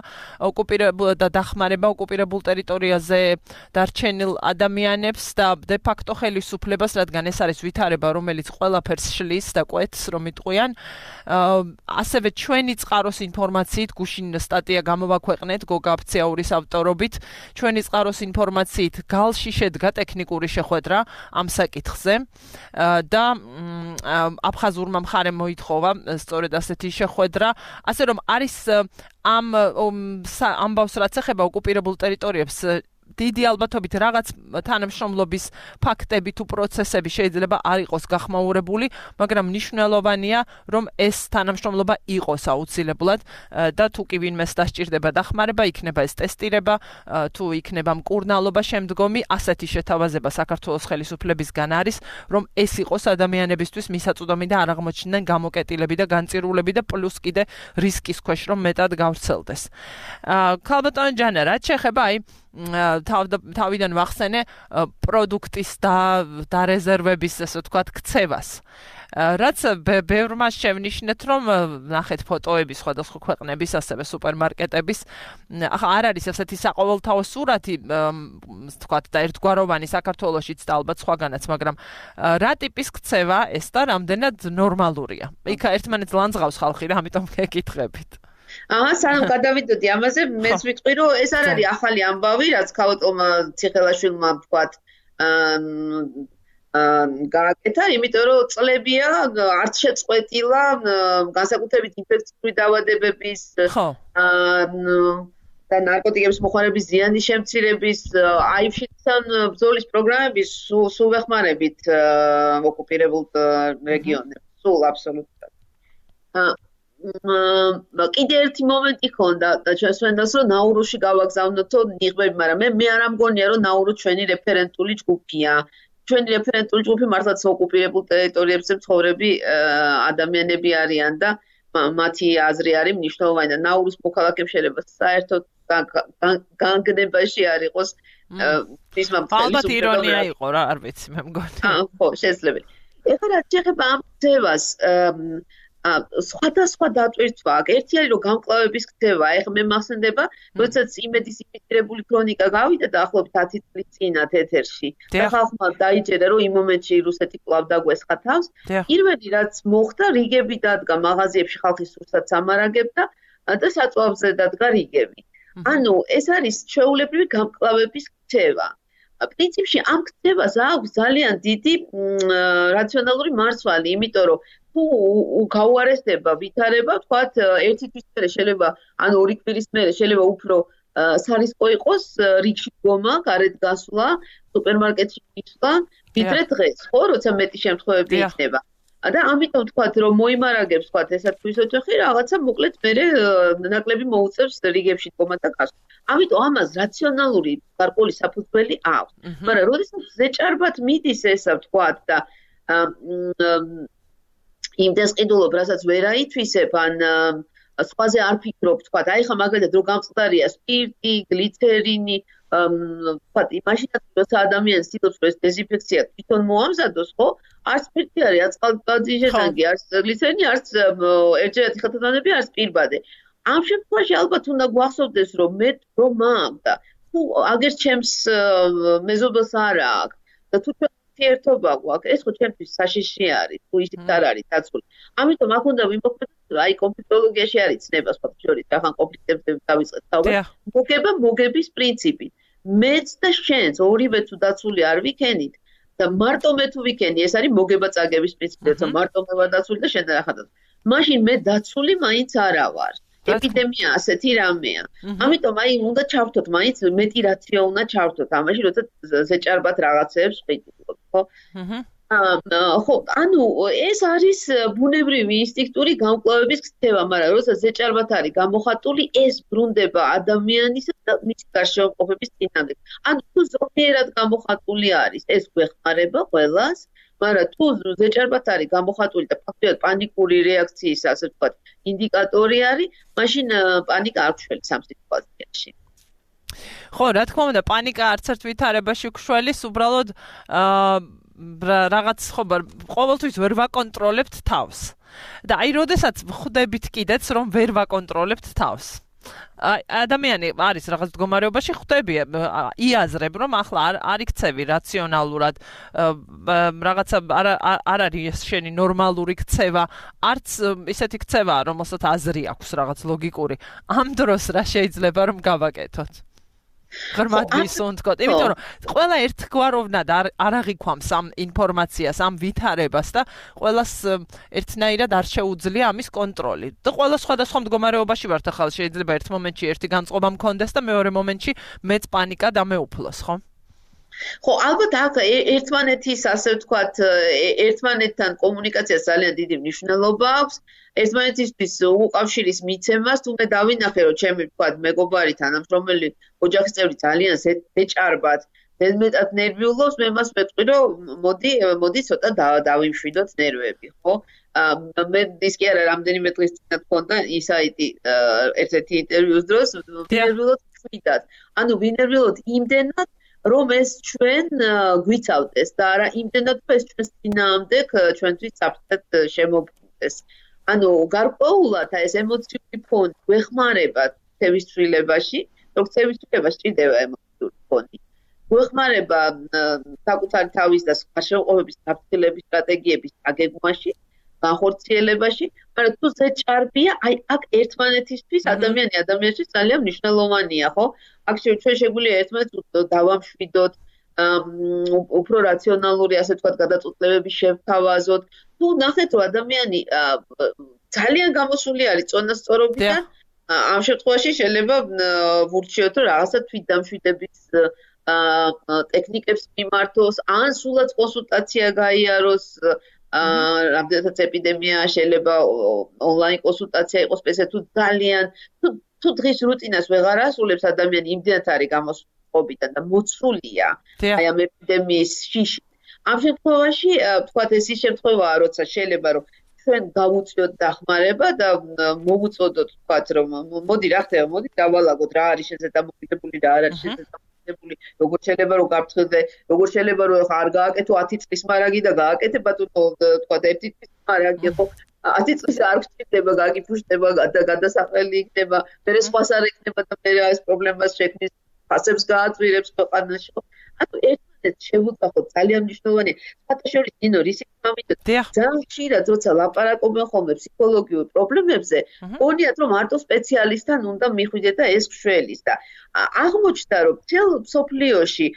Speaker 1: ოკუპირებულ და დახმარება ოკუპირებულ ტერიტორიაზე დარჩენილ ადამიანებს და დე ფაქტო ხელისუფლებას, რადგან ეს არის ვითარება, რომელიც ყველაფერს შლის და კვეთს, რომ იტყვიან. ასევე ჩვენი წყაროს ინფორმაციით გუშინ სტატია გამოვაქვეყნეთ გოგა აფციაურის ავტორობით. ჩვენი წყაროს ინფორმაციით გალში შედგა ტექნიკური შეხვედრა ამ საკითხზე და აფხაზურმა მხარემ მოითხოვა სწორედ ასეთი შეხვედრა, ასე რომ არის ამ ამბავს რაც ეხება ოკუპირებულ ტერიტორიებს დიდი ალბათობით რაღაც თანამშრომლობის ფაქტები თუ პროცესები შეიძლება არ იყოს გახმაურებული, მაგრამ მნიშვნელოვანია, რომ ეს თანამშრომლობა იყოს აუცილებლად და თუ კი ვინმეს დასჭირდება დახმარება, იქნება ეს ტესტირება, თუ იქნება მკურნალობა შემდგომი, ასეთი შეთავაზება საქართველოს ხელისუფლებისგან არის, რომ ეს იყოს ადამიანებისთვის მისაწვდომი და არ აღმოჩნდნენ გამოკეტილები და განწირულები და პლუს კიდე რისკის ქვეშ რომ მეტად გავრცელდეს. ქალბატონო ჯანა, რაც შეეხება აი თავიდან ვახსენე პროდუქტის და დარეზერვების ესე ვთქვათ ქცევას. რაც ბევრმა შევნიშნეთ, რომ ნახეთ ფოტოები სხვადასხვა ქვეყნების, ასევე სუპერმარკეტების, ახლა არ არის ასეთი საყოველთაო სურათი, ვთქვათ და ერთგვაროვანი საქართველოშიც და ალბათ სხვაგანაც, მაგრამ რა ტიპის ქცევა ეს და რამდენად ნორმალურია? იქ ერთმანეთს ლანძღავს ხალხი რა, ამიტომ გეკითხებით.
Speaker 2: აა სანამ გადავიდოდი ამაზე, მეც ვიტყვი, რომ ეს არ არის ახალი ამბავი, რაც ქალბატონმა ციხელაშვილმა ვთქვათ, გააკეთა, იმიტომ რომ წლებია არც შეწყვეტილა განსაკუთრებით ინფექციური დაავადებების და ნარკოტიკების მოხმარების ზიანის შემცირების აიფშიდან ბრძოლის პროგრამების სულ ვეხმარებით ოკუპირებულ რეგიონებს, სულ აბსოლუტურად. კიდე ერთი მომენტი ხონდა და ჩვენს ვენდას რომ ნაურუსში გავაგზავნოთო ნიღბები, მაგრამ მე მე არ ამგონია რომ ნაურუ ჩვენი რეფერენტული ჯგუფია. ჩვენი რეფერენტული ჯგუფი მართლაც ოკუპირებულ ტერიტორიებზე მცხოვრები ადამიანები არიან და მათი აზრი არის მნიშვნელოვანი და ნაურუს მოქალაქემ შეიძლება საერთოდ განგნებაში არ იყოს მისმა
Speaker 1: ალბათ ირონია იყო რა, არ ვიცი, მე მგონი.
Speaker 2: ხო, შეიძლება. ეხლა რაც შეეხება ამ ქცევას სხვადასხვა დატვირთვა აქვს. ერთი არის რომ გამკლავების ქცევა, ეხლა მე მახსენდება, როდესაც იმედის იმიტირებული ქრონიკა გავიდა დაახლოებით ათი წლის წინათ ეთერში. და ხალხმა დაიჯერა რომ იმ მომენტში რუსეთი კვლავ დაგვესხა თავს. პირველი რაც მოხდა, რიგები დადგა მაღაზიებში ხალხი სურსაც ამარაგებდა და საწვავზე დადგა რიგები. ანუ ეს არის ჩვეულებრივი გამკლავების ქცევა. პრინციპში ამ ქცევას აქვს ძალიან დიდი რაციონალური მარცვალი, იმიტომ რომ თუ გაუარესდება ვითარება, ვთქვათ, ერთი თვის მერე შეიძლება, ანუ ორი კვირის მერე შეიძლება უფრო სარისკო იყოს რიგში დგომა, გარეთ გასვლა, სუპერმარკეტში მისვლა, ვიდრე დღეს, ხო, როცა მეტი შემთხვევები იქნება. და ამიტომ ვთქვათ, რომ მოიმარაგებს, ვთქვათ, ესა თვის ოთახი რაღაცა მოკლედ მერე ნაკლები მოუწევს რიგებში დგომა და გასვლა. ამიტომ ამას რაციონალური გარკვეული საფუძველი აქვს. მაგრამ როდესაც ზეჭარბად მიდის ესა, ვთქვათ, და იმდეს ყიდულობ, რასაც ვერ აითვისებ, ან სხვაზე არ ფიქრობ, ვთქვათ, აი ხა მაგალითად რო გამწყდარია სპირტი, გლიცერინი, ვთქვათ, იმაშინაც როცა ადამიანს ცდილობს რომ ეს დეზინფექცია თვითონ მოამზადოს, ხო? არც სპირტი არის, არც წყალბადის არც გლიცერინი, არც ერთჯერადი ხელთათმანები, არც პირბადე. ამ შემთხვევაში ალბათ უნდა გვახსოვდეს, რომ მე რომ მაქვს და თუ აგერ ჩემს მეზობელს არ აქვს და თუ ერთობა გვაქვს, ეს ხო ჩემთვის საშიში არის, თუ ისიც არ არის დაცული. ამიტომ აქ უნდა ვიმოქმედოთ, აი კონფლიქტოლოგიაში არის ცნება სხვა შორის, ახან კონფლიქტებზე დავიწყეთ თავად. მოგება მოგების პრინციპი. მეც და შენც ორივე თუ დაცული არ ვიქენით და მარტო მე თუ ვიქენი, ეს არის მოგება წაგების პრინციპი, როცა მარტო მე ვარ დაცული და შენ რა ხარ. მაშინ მე დაცული მაინც არა ვარ. ეპიდემია ასეთი რამეა. ამიტომ აი უნდა ჩავთოთ, მაინც მეტი რაციო უნდა ჩავთოთ ამაში, როცა ზეჭარბად რაღაცეებს ვყიდულობ, ხო? ხო, ანუ ეს არის ბუნებრივი ინსტინქტური გამკლავების ქცევა, მაგრამ როცა ზეჭარბად არის გამოხატული, ეს ბრუნდება ადამიანის და მისი გარშემოყოფების წინამდე. ანუ თუ ზოგიერად გამოხატული არის, ეს გვეხმარება ყველას, მაგრამ თუ ზეჭარბად არის გამოხატული და ფაქტობრივად პანიკური რეაქციის, ასე ვთქვათ, ინდიკატორი არის, მაშინ პანიკა არ გშველის ამ სიტუაციაში.
Speaker 1: ხო, რა თქმა უნდა, პანიკა არც ერთ ვითარებაში გშველის, უბრალოდ რაღაც ხო, ყოველთვის ვერ ვაკონტროლებთ თავს. და აი, როდესაც ხვდებით კიდეც, რომ ვერ ვაკონტროლებთ თავს. ადამიანი არის რაღაც მდგომარეობაში, ხვდები, იაზრებ, რომ ახლა არ იქცევი რაციონალურად, რაღაცა არ არის შენი ნორმალური ქცევა, არც ისეთი ქცევაა, რომელსაც აზრი აქვს რაღაც ლოგიკური. ამ დროს რა შეიძლება რომ გავაკეთოთ? ღრმად ვისუნთქოთ, იმიტომ რომ ყველა ერთგვაროვნად არ აღიქვამს ამ ინფორმაციას, ამ ვითარებას და ყველას ერთნაირად არ შეუძლია ამის კონტროლი. და ყველა სხვადასხვა მდგომარეობაში ვართ, ახლა შეიძლება ერთ მომენტში ერთი განწყობა მქონდეს და მეორე მომენტში მეც პანიკა დამეუფლოს, ხო?
Speaker 2: ხო, ალბათ აქ ერთმანეთის, ასე ვთქვათ, ერთმანეთთან კომუნიკაციას ძალიან დიდი მნიშვნელობა აქვს. ერთმანეთისთვის უკავშირის მიცემას, თუმცა დავინახე, რომ ჩემი ვთქვათ, მეგობარი თანამშრომელი ოჯახის წევრი ძალიან ზეჭარბად, ზედმეტად ნერვიულობს, მე მას ვეთქვი, რომ მოდი, მოდი ცოტა დავიმშვიდოთ ნერვები, ხო? მე ის კი არა, რამდენიმე დღის წინათ მქონდა ისაიტი ერთ-ერთი ინტერვიუს დროს, ვინერვიულოთ ხვიდათ. ანუ ვინერვიულოთ იმდენად რომ ეს ჩვენ გვიცავდეს და არა იმდენად რომ ეს ჩვენს წინააღმდეგ ჩვენთვის საფრთხედ შემოგვიდეს. ანუ გარკვეულად ეს ემოციური ფონი გვეხმარება ქცევის ცვლილებაში, რომ ქცევის ცვლილება სჭირდება ემოციური ფონი. გვეხმარება საკუთარი თავის და სხვა შეუყოფების გაფრთხილების სტრატეგიების აგეგმვაში, განხორციელებაში, მაგრამ თუ ზეჭარბია, აი აქ ერთმანეთისთვის ადამიანი ადამიანისთვის ძალიან მნიშვნელოვანია, ხო? აქ ჩვენ შეგვიძლია ერთმანეთს დავამშვიდოთ, უფრო რაციონალური, ასე ვთქვათ, გადაწყვეტილებები შევთავაზოთ. თუ ნახეთ, რომ ადამიანი ძალიან გამოსული არის წონასწორობიდან, ამ შემთხვევაში შეიძლება ვურჩიოთ, რომ რაღაცა თვითდამშვიდების ტექნიკებს მიმართოს, ან სულაც კონსულტაცია გაიაროს. რამდენადაც ეპიდემია შეიძლება ონლაინ კონსულტაცია იყოს, ესე თუ ძალიან თუ დღის რუტინას ვეღარ ასრულებს ადამიანი, იმდენად არის გამოსულობიდან და მოცულია აი ამ ეპიდემიის შიში. ამ შემთხვევაში, ვთქვათ, ეს ის შემთხვევაა, როცა შეიძლება რომ ჩვენ გავუწიოთ დახმარება და მოვუწოდოთ, ვთქვათ, რომ მოდი რა ხდება, მოდი დავალაგოთ რა არის შესაძლებელი, რა არ არის შესაძლებელი. როგორ შეიძლება რომ გაფრთხილდე, როგორ შეიძლება რომ ხა არ გააკეთო ათი წლის მარაგი და გააკეთე ბატონო, თქვა ერთი წლის მარაგი, ხო? ათი წლის არ გჭირდება გაგიფუშტება და გადასახელი იქნება, მერე სხვას არ იქნება და მერე ეს პრობლემას შექმნის, ფასებს გააწვირებს ქვეყანაში. ანუ ერთმანეთს შევუწახოთ ძალიან მნიშვნელოვანია. საერთაშორისო ნინო რისკი ამიტომ ძალიან ხშირად როცა ლაპარაკობენ ხოლმე ფსიქოლოგიურ პრობლემებზე, გონიათ რომ მარტო სპეციალისტთან უნდა მიხვიდეთ და ეს გშველის და აღმოჩნდა რომ მთელ მსოფლიოში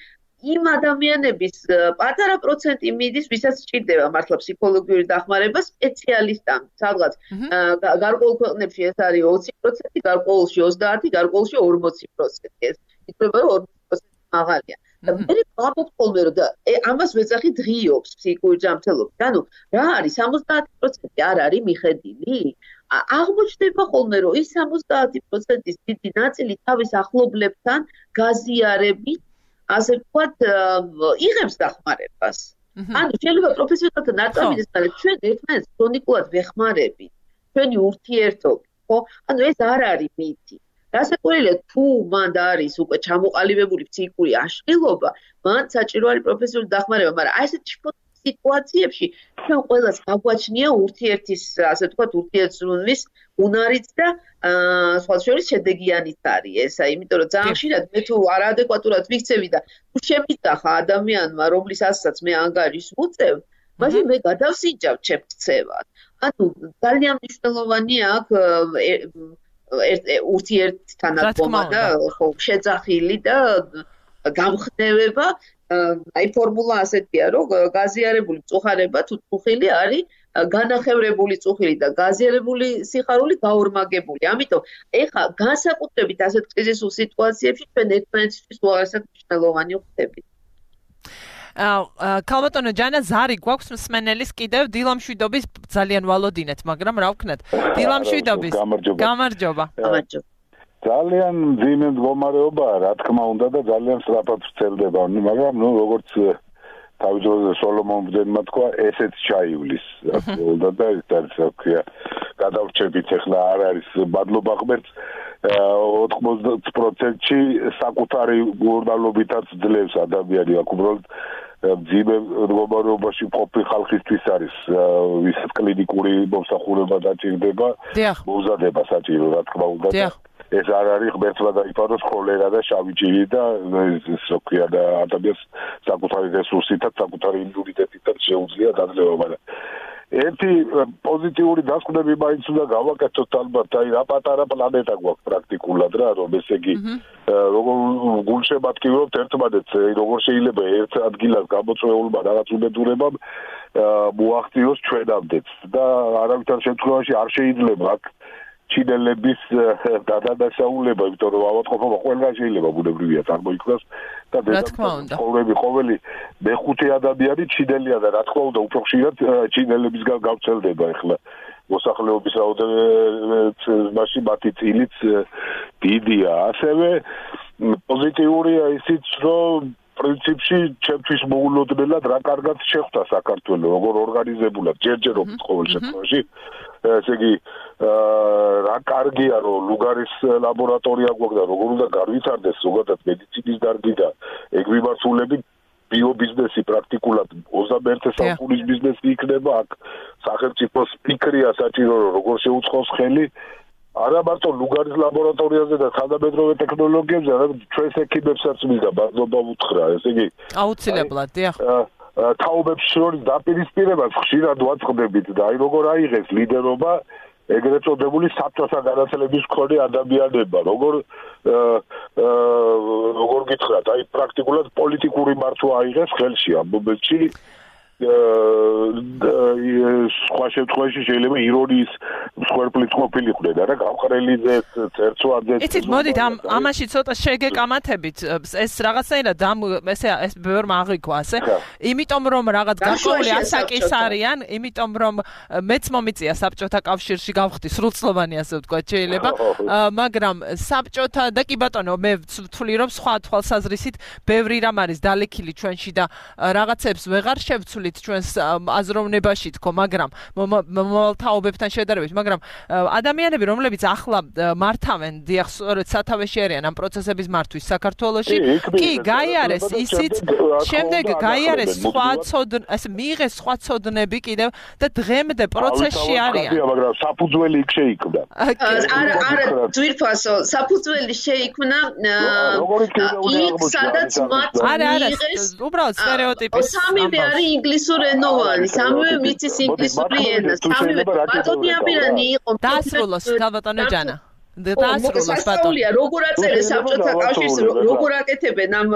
Speaker 2: იმ ადამიანების პატარა პროცენტი მიდის, ვისაც სჭირდება მართლა ფსიქოლოგიური დახმარება სპეციალისტთან. სადღაც გარკვეულ ქვეყნებში ეს არის ოცი პროცენტი, გარკვეულში ოცდაათი, გარკვეულში ორმოცი პროცენტი. ეს იქნება რომ ორმოცი პროცენტი მაღალია. და მე ვამბობ ხოლმე რომ ამას ვეძახი დღიობს ფსიქიკური ჯანმრთელობა. ანუ რა არის სამოცდაათი პროცენტი არ არის მიხედილი? აღმოჩნდება ხოლმე რომ ის სამოცდაათი პროცენტის დიდი ნაწილი თავის ახლობლებთან გაზიარებით ასე ვთქვათ, იღებს დახმარებას. ანუ შეიძლება პროფესიონალთა ნაწარმოების მაგრამ ჩვენ ერთმანეთს ქრონიკულად ვეხმარებით. ჩვენი ურთიერთობა, ხო? ანუ ეს არ არის მითი. რასაკვირველია, თუ მანდ არის უკვე ჩამოყალიბებული ფსიქიკური აშლილობა, მან საჭირო არის პროფესიული დახმარება, მაგრამ აი ესეთ სიტუაციებში ჩვენ ყველას გაგვაჩნია ურთიერთის, ასე ვთქვათ, ურთიერთზრუნვის უნარიც და სხვა შორის შედეგიანიც არის ესა, იმიტომ რომ ძალიან ხშირად მე თუ არაადეკვატურად ვიქცევი და თუ შემიწახა ადამიანმა, რომლის ასაცაც მე ანგარიშს ვუწევ, მაშინ მე გადავსინჯავ ჩემ ქცევად. ანუ ძალიან მნიშვნელოვანია აქ ურთიერთთან დგომა და შეძახილი და გამხნევება. აი ფორმულა ასეთია, რომ გაზიარებული მწუხარება თუ წუხილი არის განახევრებული წუხილი და გაზიარებული სიხარული გაორმაგებული. ამიტომ ეხა განსაკუთრებით ასეთ კრიზისულ სიტუაციებში ჩვენ ერთმანეთისთვის უაღრესად მნიშვნელოვანი ვხდებით.
Speaker 1: ქალბატონო ჯანა ზარი გვაქვს მსმენელის კიდევ დილამშვიდობის ძალიან ვალოდინეთ, მაგრამ რა ვქნათ? დილამშვიდობის. გამარჯობა.
Speaker 2: გამარჯობა.
Speaker 3: ძალიან მძიმე მდგომარეობაა, რა თქმა უნდა და ძალიან სწრაფად ვრცელდება, მაგრამ ნუ როგორც თავის დროზე სოლომონ ბრძენმა თქვა, ესეც ჩაივლის. და და ეს რა გადავრჩებით ახლა არ არის მადლობა ღმერთს ოთხმოცდაათ პროცენტში საკუთარი მურდალობითაც ძლევს ადამიანი აქ უბრალოდ მძიმე მდგომარეობაში მყოფი ხალხისთვის არის ვისაც კლინიკური მომსახურება დაჭირდება მომზადება საჭირო რა თქმა უნდა ეს არ არის ღმერთმა დაიფაროს ქოლერა და შავი ჭირი და ეს რა ქვია და ადამიანს საკუთარი რესურსითაც საკუთარი იმუნიტეტითაც შეუძლია დაძლევა მაგრამ ერთი პოზიტიური დასკვნები მაინც უნდა გავაკეთოთ ალბათ აი რა პატარა პლანეტა გვაქვს პრაქტიკულად რა რომ ესე იგი როგორ გულშემატკივრობთ ერთმანეთს როგორ შეიძლება ერთ ადგილას გამოწვეულმა რაღაც უბედურებამ მოაღწიოს ჩვენამდეც და არავითარ შემთხვევაში არ შეიძლება აქ ჩინელების დადასაულება, იმიტომ რომ ავადმყოფობა ყველგან შეიძლება ბუნებრივია წარმოიქმნას და ცხოვრები ყოველი მეხუთე ადამიანი ჩინელია და რა თქმა უნდა უფრო ხშირად ჩინელებისგან გავრცელდება ახლა მოსახლეობის რაოდენობაში მათი წილიც დიდია. ასევე პოზიტიურია ისიც, რომ პრინციპში ჩემთვის მოულოდნელად რა კარგად შეხვდა საქართველო, როგორ ორგანიზებულად ჯერჯერობით ყოველ შემთხვევაში. ესე იგი რა კარგია რომ ლუგარის ლაბორატორია გვაქვს და როგორ უნდა განვითარდეს ზოგადად მედიცინის დარგი და ეგ მიმართულებით ბიობიზნესი პრაქტიკულად ოცდამეერთე საუკუნის ბიზნესი იქნება აქ სახელმწიფოს ფიქრია საჭირო რომ როგორ შეუწყოს ხელი არა მარტო ლუგარის ლაბორატორიაზე და თანამედროვე ტექნოლოგიებზე არამედ ჩვენს ექიმებსაც მინდა მადლობა ვუთხრა ესე იგი
Speaker 1: აუცილებლად დიახ
Speaker 3: თაობებს შორის დაპირისპირებას ხშირად ვაწყდებით და აი როგორ აიღეს ლიდერობა ეგრეთ წოდებული საბჭოთა განათლების მქონე ადამიანებმა როგორ როგორ გითხრათ აი პრაქტიკულად პოლიტიკური მართვა აიღეს ხელში ამ მომენტში სხვა შემთხვევაში შეიძლება ირონიის მსხვერპლიც ყოფილიყვნენ არა გამყრელიძე წერცვაძე
Speaker 1: იცით მოდით ამ ამაში ცოტა შეგეკამათებით ეს რაღაცნაირად ამ ესე ეს ბევრმა აღიქვა ასე იმიტომ რომ რაღაც გარკვეული ასაკის არიან იმიტომ რომ მეც მომიწია საბჭოთა კავშირში გავხდი სრულწლოვანი ასე ვთქვათ შეიძლება მაგრამ საბჭოთა და კი ბატონო მე ვთვლი რომ სხვა თვალსაზრისით ბევრი რამ არის დალექილი ჩვენში და რაღაცებს ვეღარ შევცვლი ჩავთვალით ჩვენს აზროვნებაში თქო, მაგრამ მომავალ თაობებთან შედარებით, მაგრამ ადამიანები, რომლებიც ახლა მართავენ, დიახ, სწორედ სათავეში არიან ამ პროცესების მართვის საქართველოში, კი, გაიარეს ისიც, შემდეგ გაიარეს სხვა ცოდნ, ასე მიიღეს სხვა ცოდნები კიდევ და დღემდე პროცესში არიან.
Speaker 6: მაგრამ საფუძველი იქ შეიქმნა.
Speaker 2: არა, არა, ძვირფასო, საფუძველი შეიქმნა იქ, სადაც მათ მიიღეს
Speaker 1: უბრალოდ სტერეოტიპი.
Speaker 2: სამივე არის ინგლისურენოვანი, სამივე მიცის ინგლისური ენა, სამივე ბატონი აბირანი იყო.
Speaker 1: დაასრულოს, ქალბატონო ჯანა. დაასრულოს ბატონი.
Speaker 2: როგორ აწერეს საბჭოთა კავშირს, როგორ აკეთებენ ამ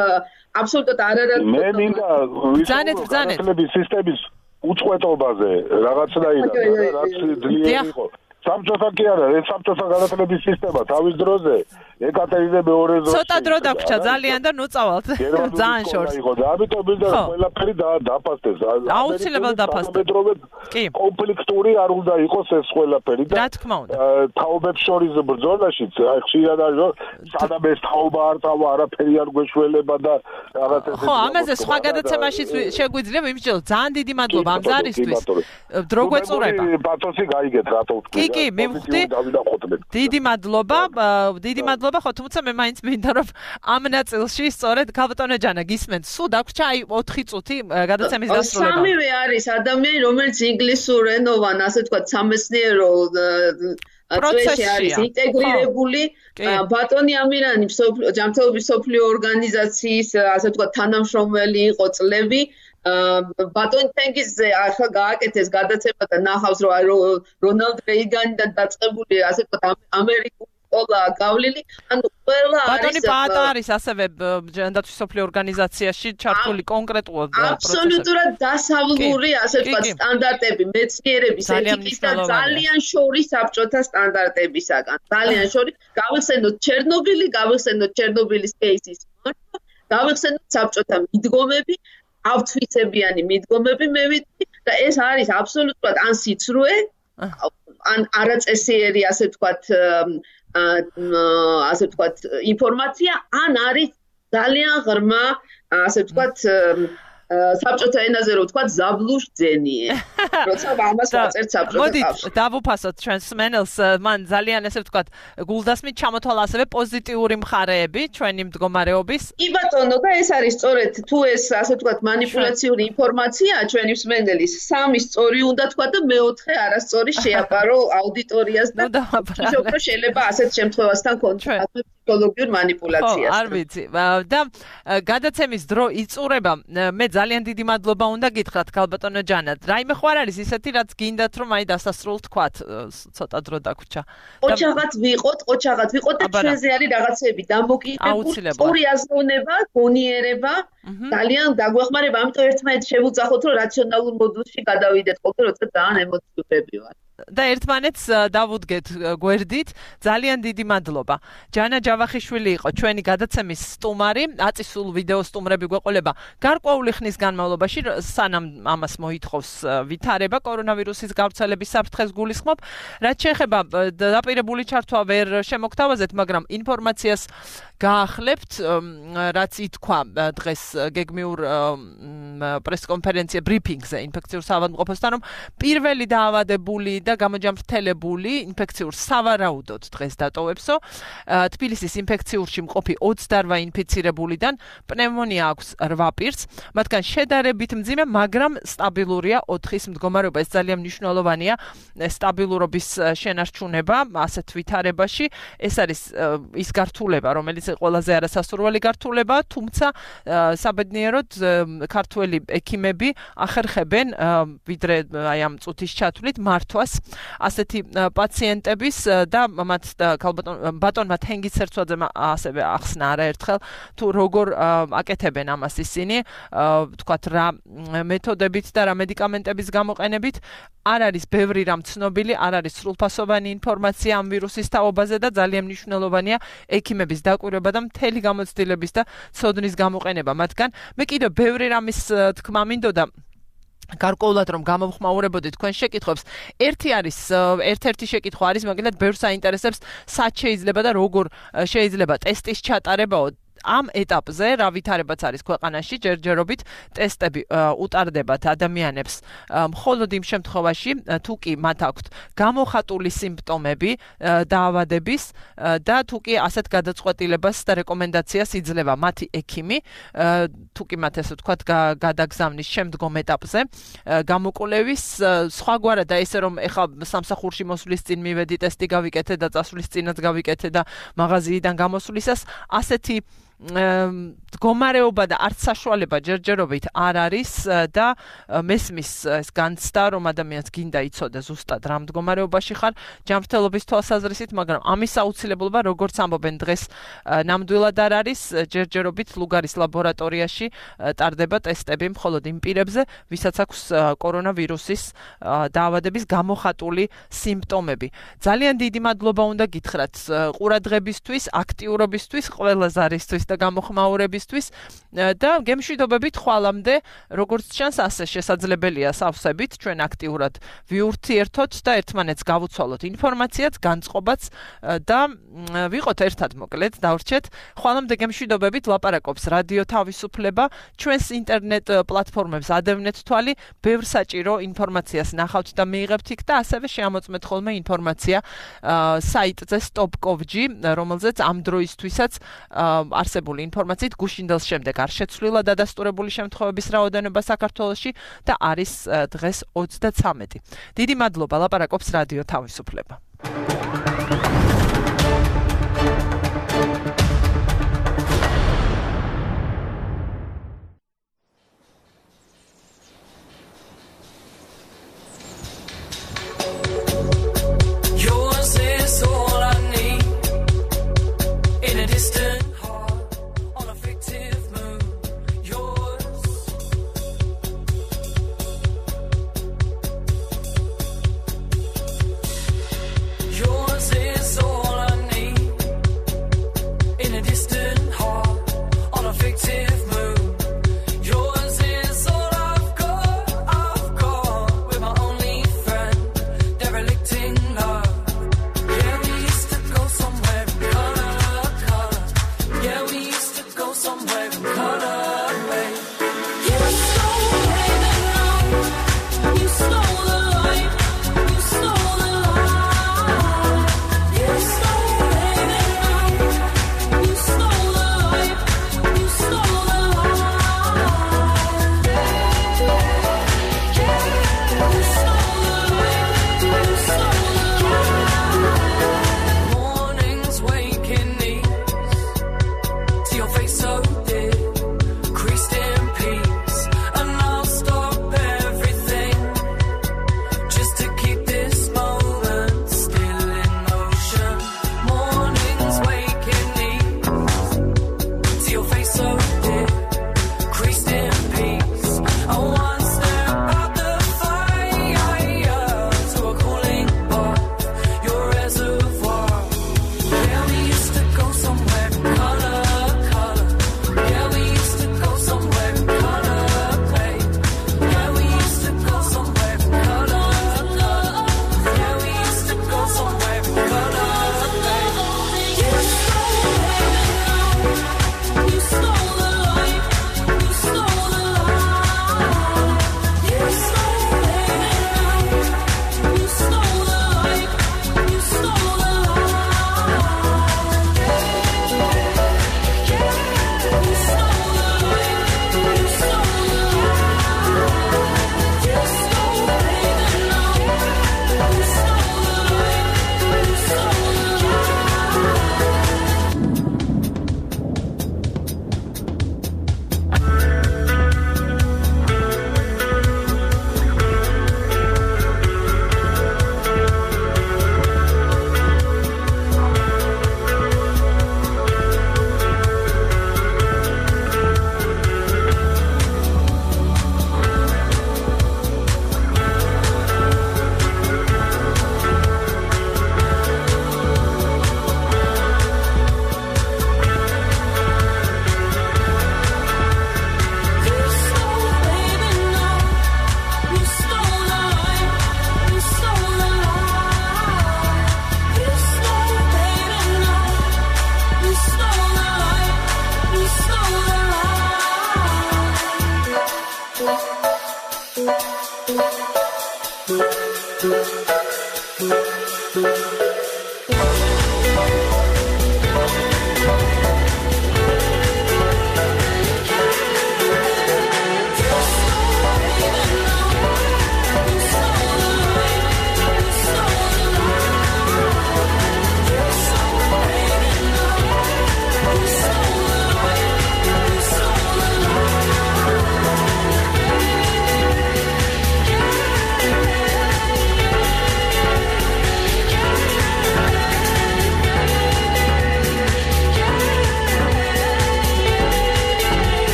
Speaker 2: აბსოლუტურად არარად.
Speaker 6: მე მინდა
Speaker 1: ბრძანეთ, ბრძანეთ.
Speaker 6: სისტემის უწყვეტობაზე რაღაცნაირად, რაც ძლიერი იყო. საბჭოთა კი არა, ეს საბჭოთა განათლების სისტემა თავის დროზე ეკატერინე მეორეზე
Speaker 1: ცოტა დრო დაგვრჩა ძალიან და ნუ წავალთ. ძალიან შორს.
Speaker 6: იყო და ამიტომ მინდა ყველაფერი დაფასდეს.
Speaker 1: აუცილებლად დაფასდეს.
Speaker 6: კი. კონფლიქტური არ უნდა იყოს ეს ყველაფერი
Speaker 1: და რა თქმა უნდა.
Speaker 6: თაობებს შორის ბრძოლაშიც ხშირად არის სადამ ეს თაობა არ წავა, არაფერი არ გვეშველება და რაღაც ეს.
Speaker 1: ხო, ამაზე სხვა გადაცემაშიც შეგვიძლია ვიმსჯელო. ძალიან დიდი მადლობა ამ ზარისთვის. დრო გვეწურება.
Speaker 6: პათოსი გაიგეთ რატო ვთქვი.
Speaker 1: კი, მივხვდი. დიდი მადლობა, დიდი მადლობა, ხო, თუმცა მე მაინც მინდა რომ ამ ნაწილში სწორედ ქალბატონო ჯანა გისმენთ, სულ დაგვრჩა აი ოთხი წუთი გადაცემის დასრულება.
Speaker 2: სამივე არის ადამიანი, რომელიც ინგლისურენოვან, ასე ვთქვათ, სამეცნიერო პროცესში არის ინტეგრირებული. ბატონი ამირანი ჯანმრთელობის მსოფლიო ორგანიზაციის, ასე ვთქვათ, თანამშრომელი იყო წლები. ბატონ თენგიზზე ახლა გააკეთეს გადაცემა და ნახავს რომ რონალდ რეიგანიდან დაწყებული ასე ვთქვათ ამერიკული სკოლა გავლილი, ანუ ყველა არის
Speaker 1: ბატონი ბატა არის ასევე ჯანდაცვის მსოფლიო ორგანიზაციაში ჩართული კონკრეტულად პროცესში.
Speaker 2: აბსოლუტურად დასავლური ასე ვთქვათ სტანდარტები მეცნიერების ეთიკის და ძალიან შორის საბჭოთა სტანდარტებისაგან. ძალიან შორის გავიხსენოთ ჩერნობილი, გავიხსენოთ ჩერნობილის კეისის მართვის, გავიხსენოთ საბჭოთა მიდგომები. ავთვისებიანი მიდგომები მე ვიცი და ეს არის აბსოლუტურად ან სიცრუე, ან არაწესიერი ასე ვთქვათ, ასე ვთქვათ ინფორმაცია, ან არის ძალიან ღრმა ასე ვთქვათ საბჭოთა ენაზე რო ვთქვათ ზაბლუშ ძენიე. როცა ამას ვაწერთ საბჭოთა კავშირში.
Speaker 1: მოდით დავუფასოთ ჩვენს მენელს, მან ძალიან ასე ვთქვათ გულდასმით ჩამოთვალა ასევე პოზიტიური მხარეები ჩვენი მდგომარეობის.
Speaker 2: კი ბატონო, და ეს არის სწორედ თუ ეს ასე ვთქვათ манипуляციური ინფორმაციაა ჩვენი მსმენელის, სამი სწორი უნდა თქვა და მეოთხე არასწორი შეაპარო აუდიტორიას და შეიძლება შეიძლება ასეთ შემთხვევასთან კონტაქტი ფსიქოლოგიურ манипуляციას.
Speaker 1: არ ვიცი. და გადაცემის დრო იწურება. მე ძალიან დიდი მადლობა უნდა გითხრათ ქალბატონო ჯანა. რაიმე ხო არ არის ისეთი რაც გინდათ რომ აი დასასრულ თქვათ ცოტა დრო დაგვრჩა.
Speaker 2: ოჩაღად ვიყოთ, ოჩაღად ვიყოთ და ჩვენზე არის რაღაცები დამოკიდებული. სწორი აზროვნება, გონიერება ძალიან დაგვეხმარება, ამიტომ ერთმანეთს შევუძახოთ რომ რაციონალურ მოდულში გადავიდეთ ხოლმე როცა ძალიან ემოციურები ვართ.
Speaker 1: და ერთმანეთს დავუდგეთ გვერდით. ძალიან დიდი მადლობა. ჯანა ჯავახიშვილი იყო ჩვენი გადაცემის სტუმარი. აწისულ ვიდეო სტუმრები გვეყოლება გარკვეული ხნის განმავლობაში, სანამ ამას მოითხოვს ვითარება კორონავირუსის გავრცელების საფრთხეს გულისხმობ. რაც შეეხება დაპირებული ჩართვა ვერ შემოგთავაზეთ, მაგრამ ინფორმაციას გაახლებთ, რაც ითქვა დღეს გეგმიურ პრესკონფერენცია ბრიფინგზე ინფექციურ საავადმყოფოსთან, რომ პირველი დაავადებული და გამოჯამრთელებული ინფექციურ სავარაუდოდ დღეს დატოვებსო. თბილისის ინფექციურში მყოფი ოცდაოთხ ინფიცირებულიდან პნევმონია აქვს რვა პირს, მათგან შედარებით მძიმე, მაგრამ სტაბილურია ოთხის მდგომარეობა. ეს ძალიან მნიშვნელოვანია სტაბილურობის შენარჩუნება ასეთ ვითარებაში. ეს არის ის გართულება, რომელიც ყველაზე არასასურველი გართულება, თუმცა საბედნიეროდ ქართველი ექიმები ახერხებენ ვიდრე აი ამ წუთის ჩათვლით მართვას ასეთი პაციენტების და მათ ბატონმა თენგიზ სერცვაძემ ასევე ახსნა არაერთხელ თუ როგორ აკეთებენ ამას ისინი, ვთქვათ რა მეთოდებით და რა მედიკამენტების გამოყენებით. არ არის ბევრი რამ ცნობილი, არ არის სრულფასოვანი ინფორმაცია ამ ვირუსის თაობაზე და ძალიან მნიშვნელოვანია ექიმების დაკვირვება და მთელი გამოცდილების და ცოდნის გამოყენება მათგან. მე კიდევ ბევრი რამის თქმა მინდოდა გარკვეულად რომ გამოვხმაურებოდით თქვენ შეკითხვებს. ერთი არის ერთ-ერთი შეკითხვა არის მაგალითად ბევრს აინტერესებს სად შეიძლება და როგორ შეიძლება ტესტის ჩატარებაო. ამ ეტაპზე რა ვითარებაც არის ქვეყანაში, ჯერჯერობით ტესტები უტარდებათ ადამიანებს მხოლოდ იმ შემთხვევაში, თუ კი მათ აქვთ გამოხატული სიმპტომები დაავადების და თუ კი ასეთ გადაწყვეტილებას და რეკომენდაციას იძლევა მათი ექიმი, თუ კი მათ ესე ვთქვათ გადაგზავნის შემდგომ ეტაპზე გამოკვლევის სხვაგვარად და ესე რომ ეხლა სამსახურში მოსვლის წინ მივედი ტესტი გავიკეთე და წასვლის წინაც გავიკეთე და მაღაზიიდან გამოსვლისას ასეთი მდგომარეობა და არც საშუალება ჯერჯერობით არ არის და მესმის ეს განცდა რომ ადამიანს გინდა იცოდეს ზუსტად რა მდგომარეობაში ხარ ჯანმრთელობის თვალსაზრისით, მაგრამ ამის აუცილებლობა როგორც ამბობენ დღეს ნამდვილად არ არის, ჯერჯერობით ლუგარის ლაბორატორიაში ტარდება ტესტები მხოლოდ იმ პირებზე, ვისაც აქვს კორონავირუსის დაავადების გამოხატული სიმპტომები. ძალიან დიდი მადლობა უნდა გითხრათ ყურადღებისთვის, აქტიურობისთვის, ყველა ზარისთვის და გამოხმაურებისთვის და გემშვიდობებით ხვალამდე, როგორც ჩანს, ასე შესაძლებელია სავსებით ჩვენ აქტიურად ვიურთიერთოთ და ერთმანეთს გავუცვალოთ ინფორმაციაც, განწყობაც და ვიყოთ ერთად მოკლედ, დავრჩეთ. ხვალამდე გემშვიდობებით ლაპარაკობს რადიო თავისუფლება, ჩვენს ინტერნეტ პლატფორმებს ადევნეთ თვალი, ბევრ საჭირო ინფორმაციას ნახავთ და მიიღებთ იქ და ასევე შეამოწმეთ ხოლმე ინფორმაცია საიტზე stop dot gov dot g, რომელზეც ამ დროისთვისაც არსებობს ინფორმაციით გუშინდელს შემდეგ არ შეცვლილა დადასტურებული შემთხვევების რაოდენობა საქართველოში და არის დღეს ოცდაცამეტი. დიდი მადლობა, ლაპარაკობს რადიო თავისუფლება.
Speaker 7: Yours is all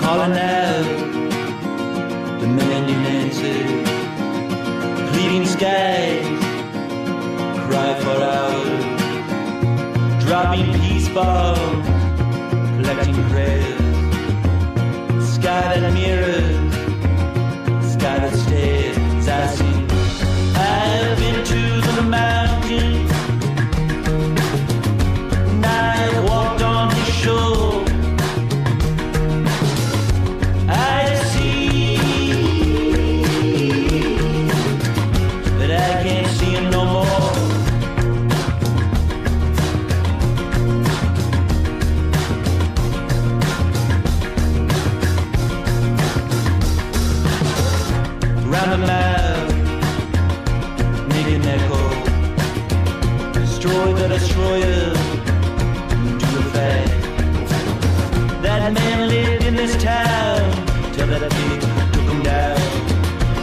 Speaker 7: calling out the man you answered, pleading skies cry for hours, dropping peace bombs, collecting prayers, sky that mirrors, sky that stares. I see I've been to the mountains, and I've walked on the shore. Destroyers do the fact that man lived in this town till that pig took him down.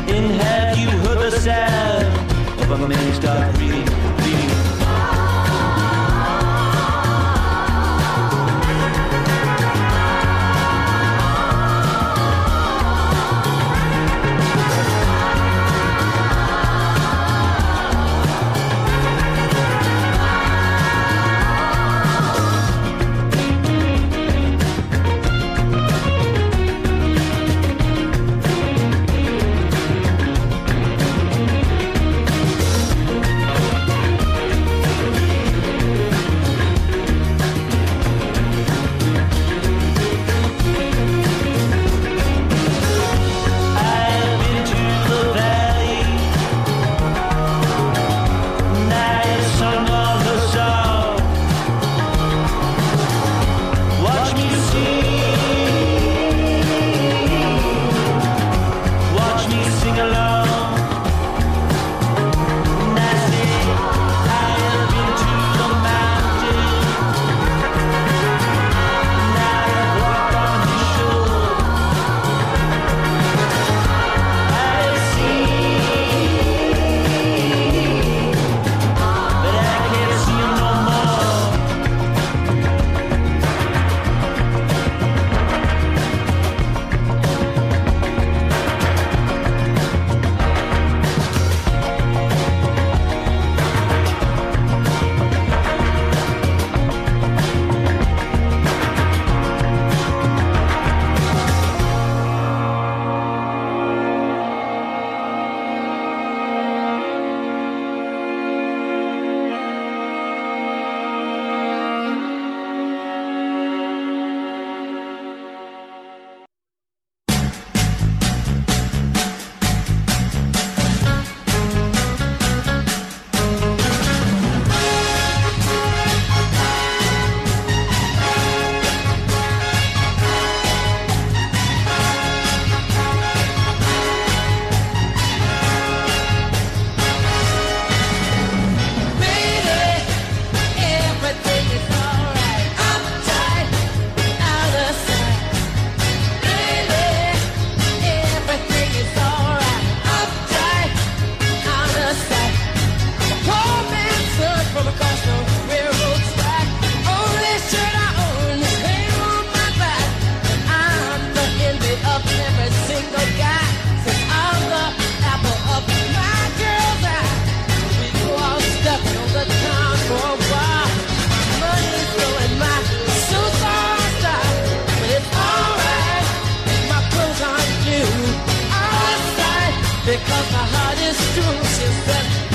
Speaker 7: And have you heard the sound of a man start breathing, breathing? because my heart is true since then.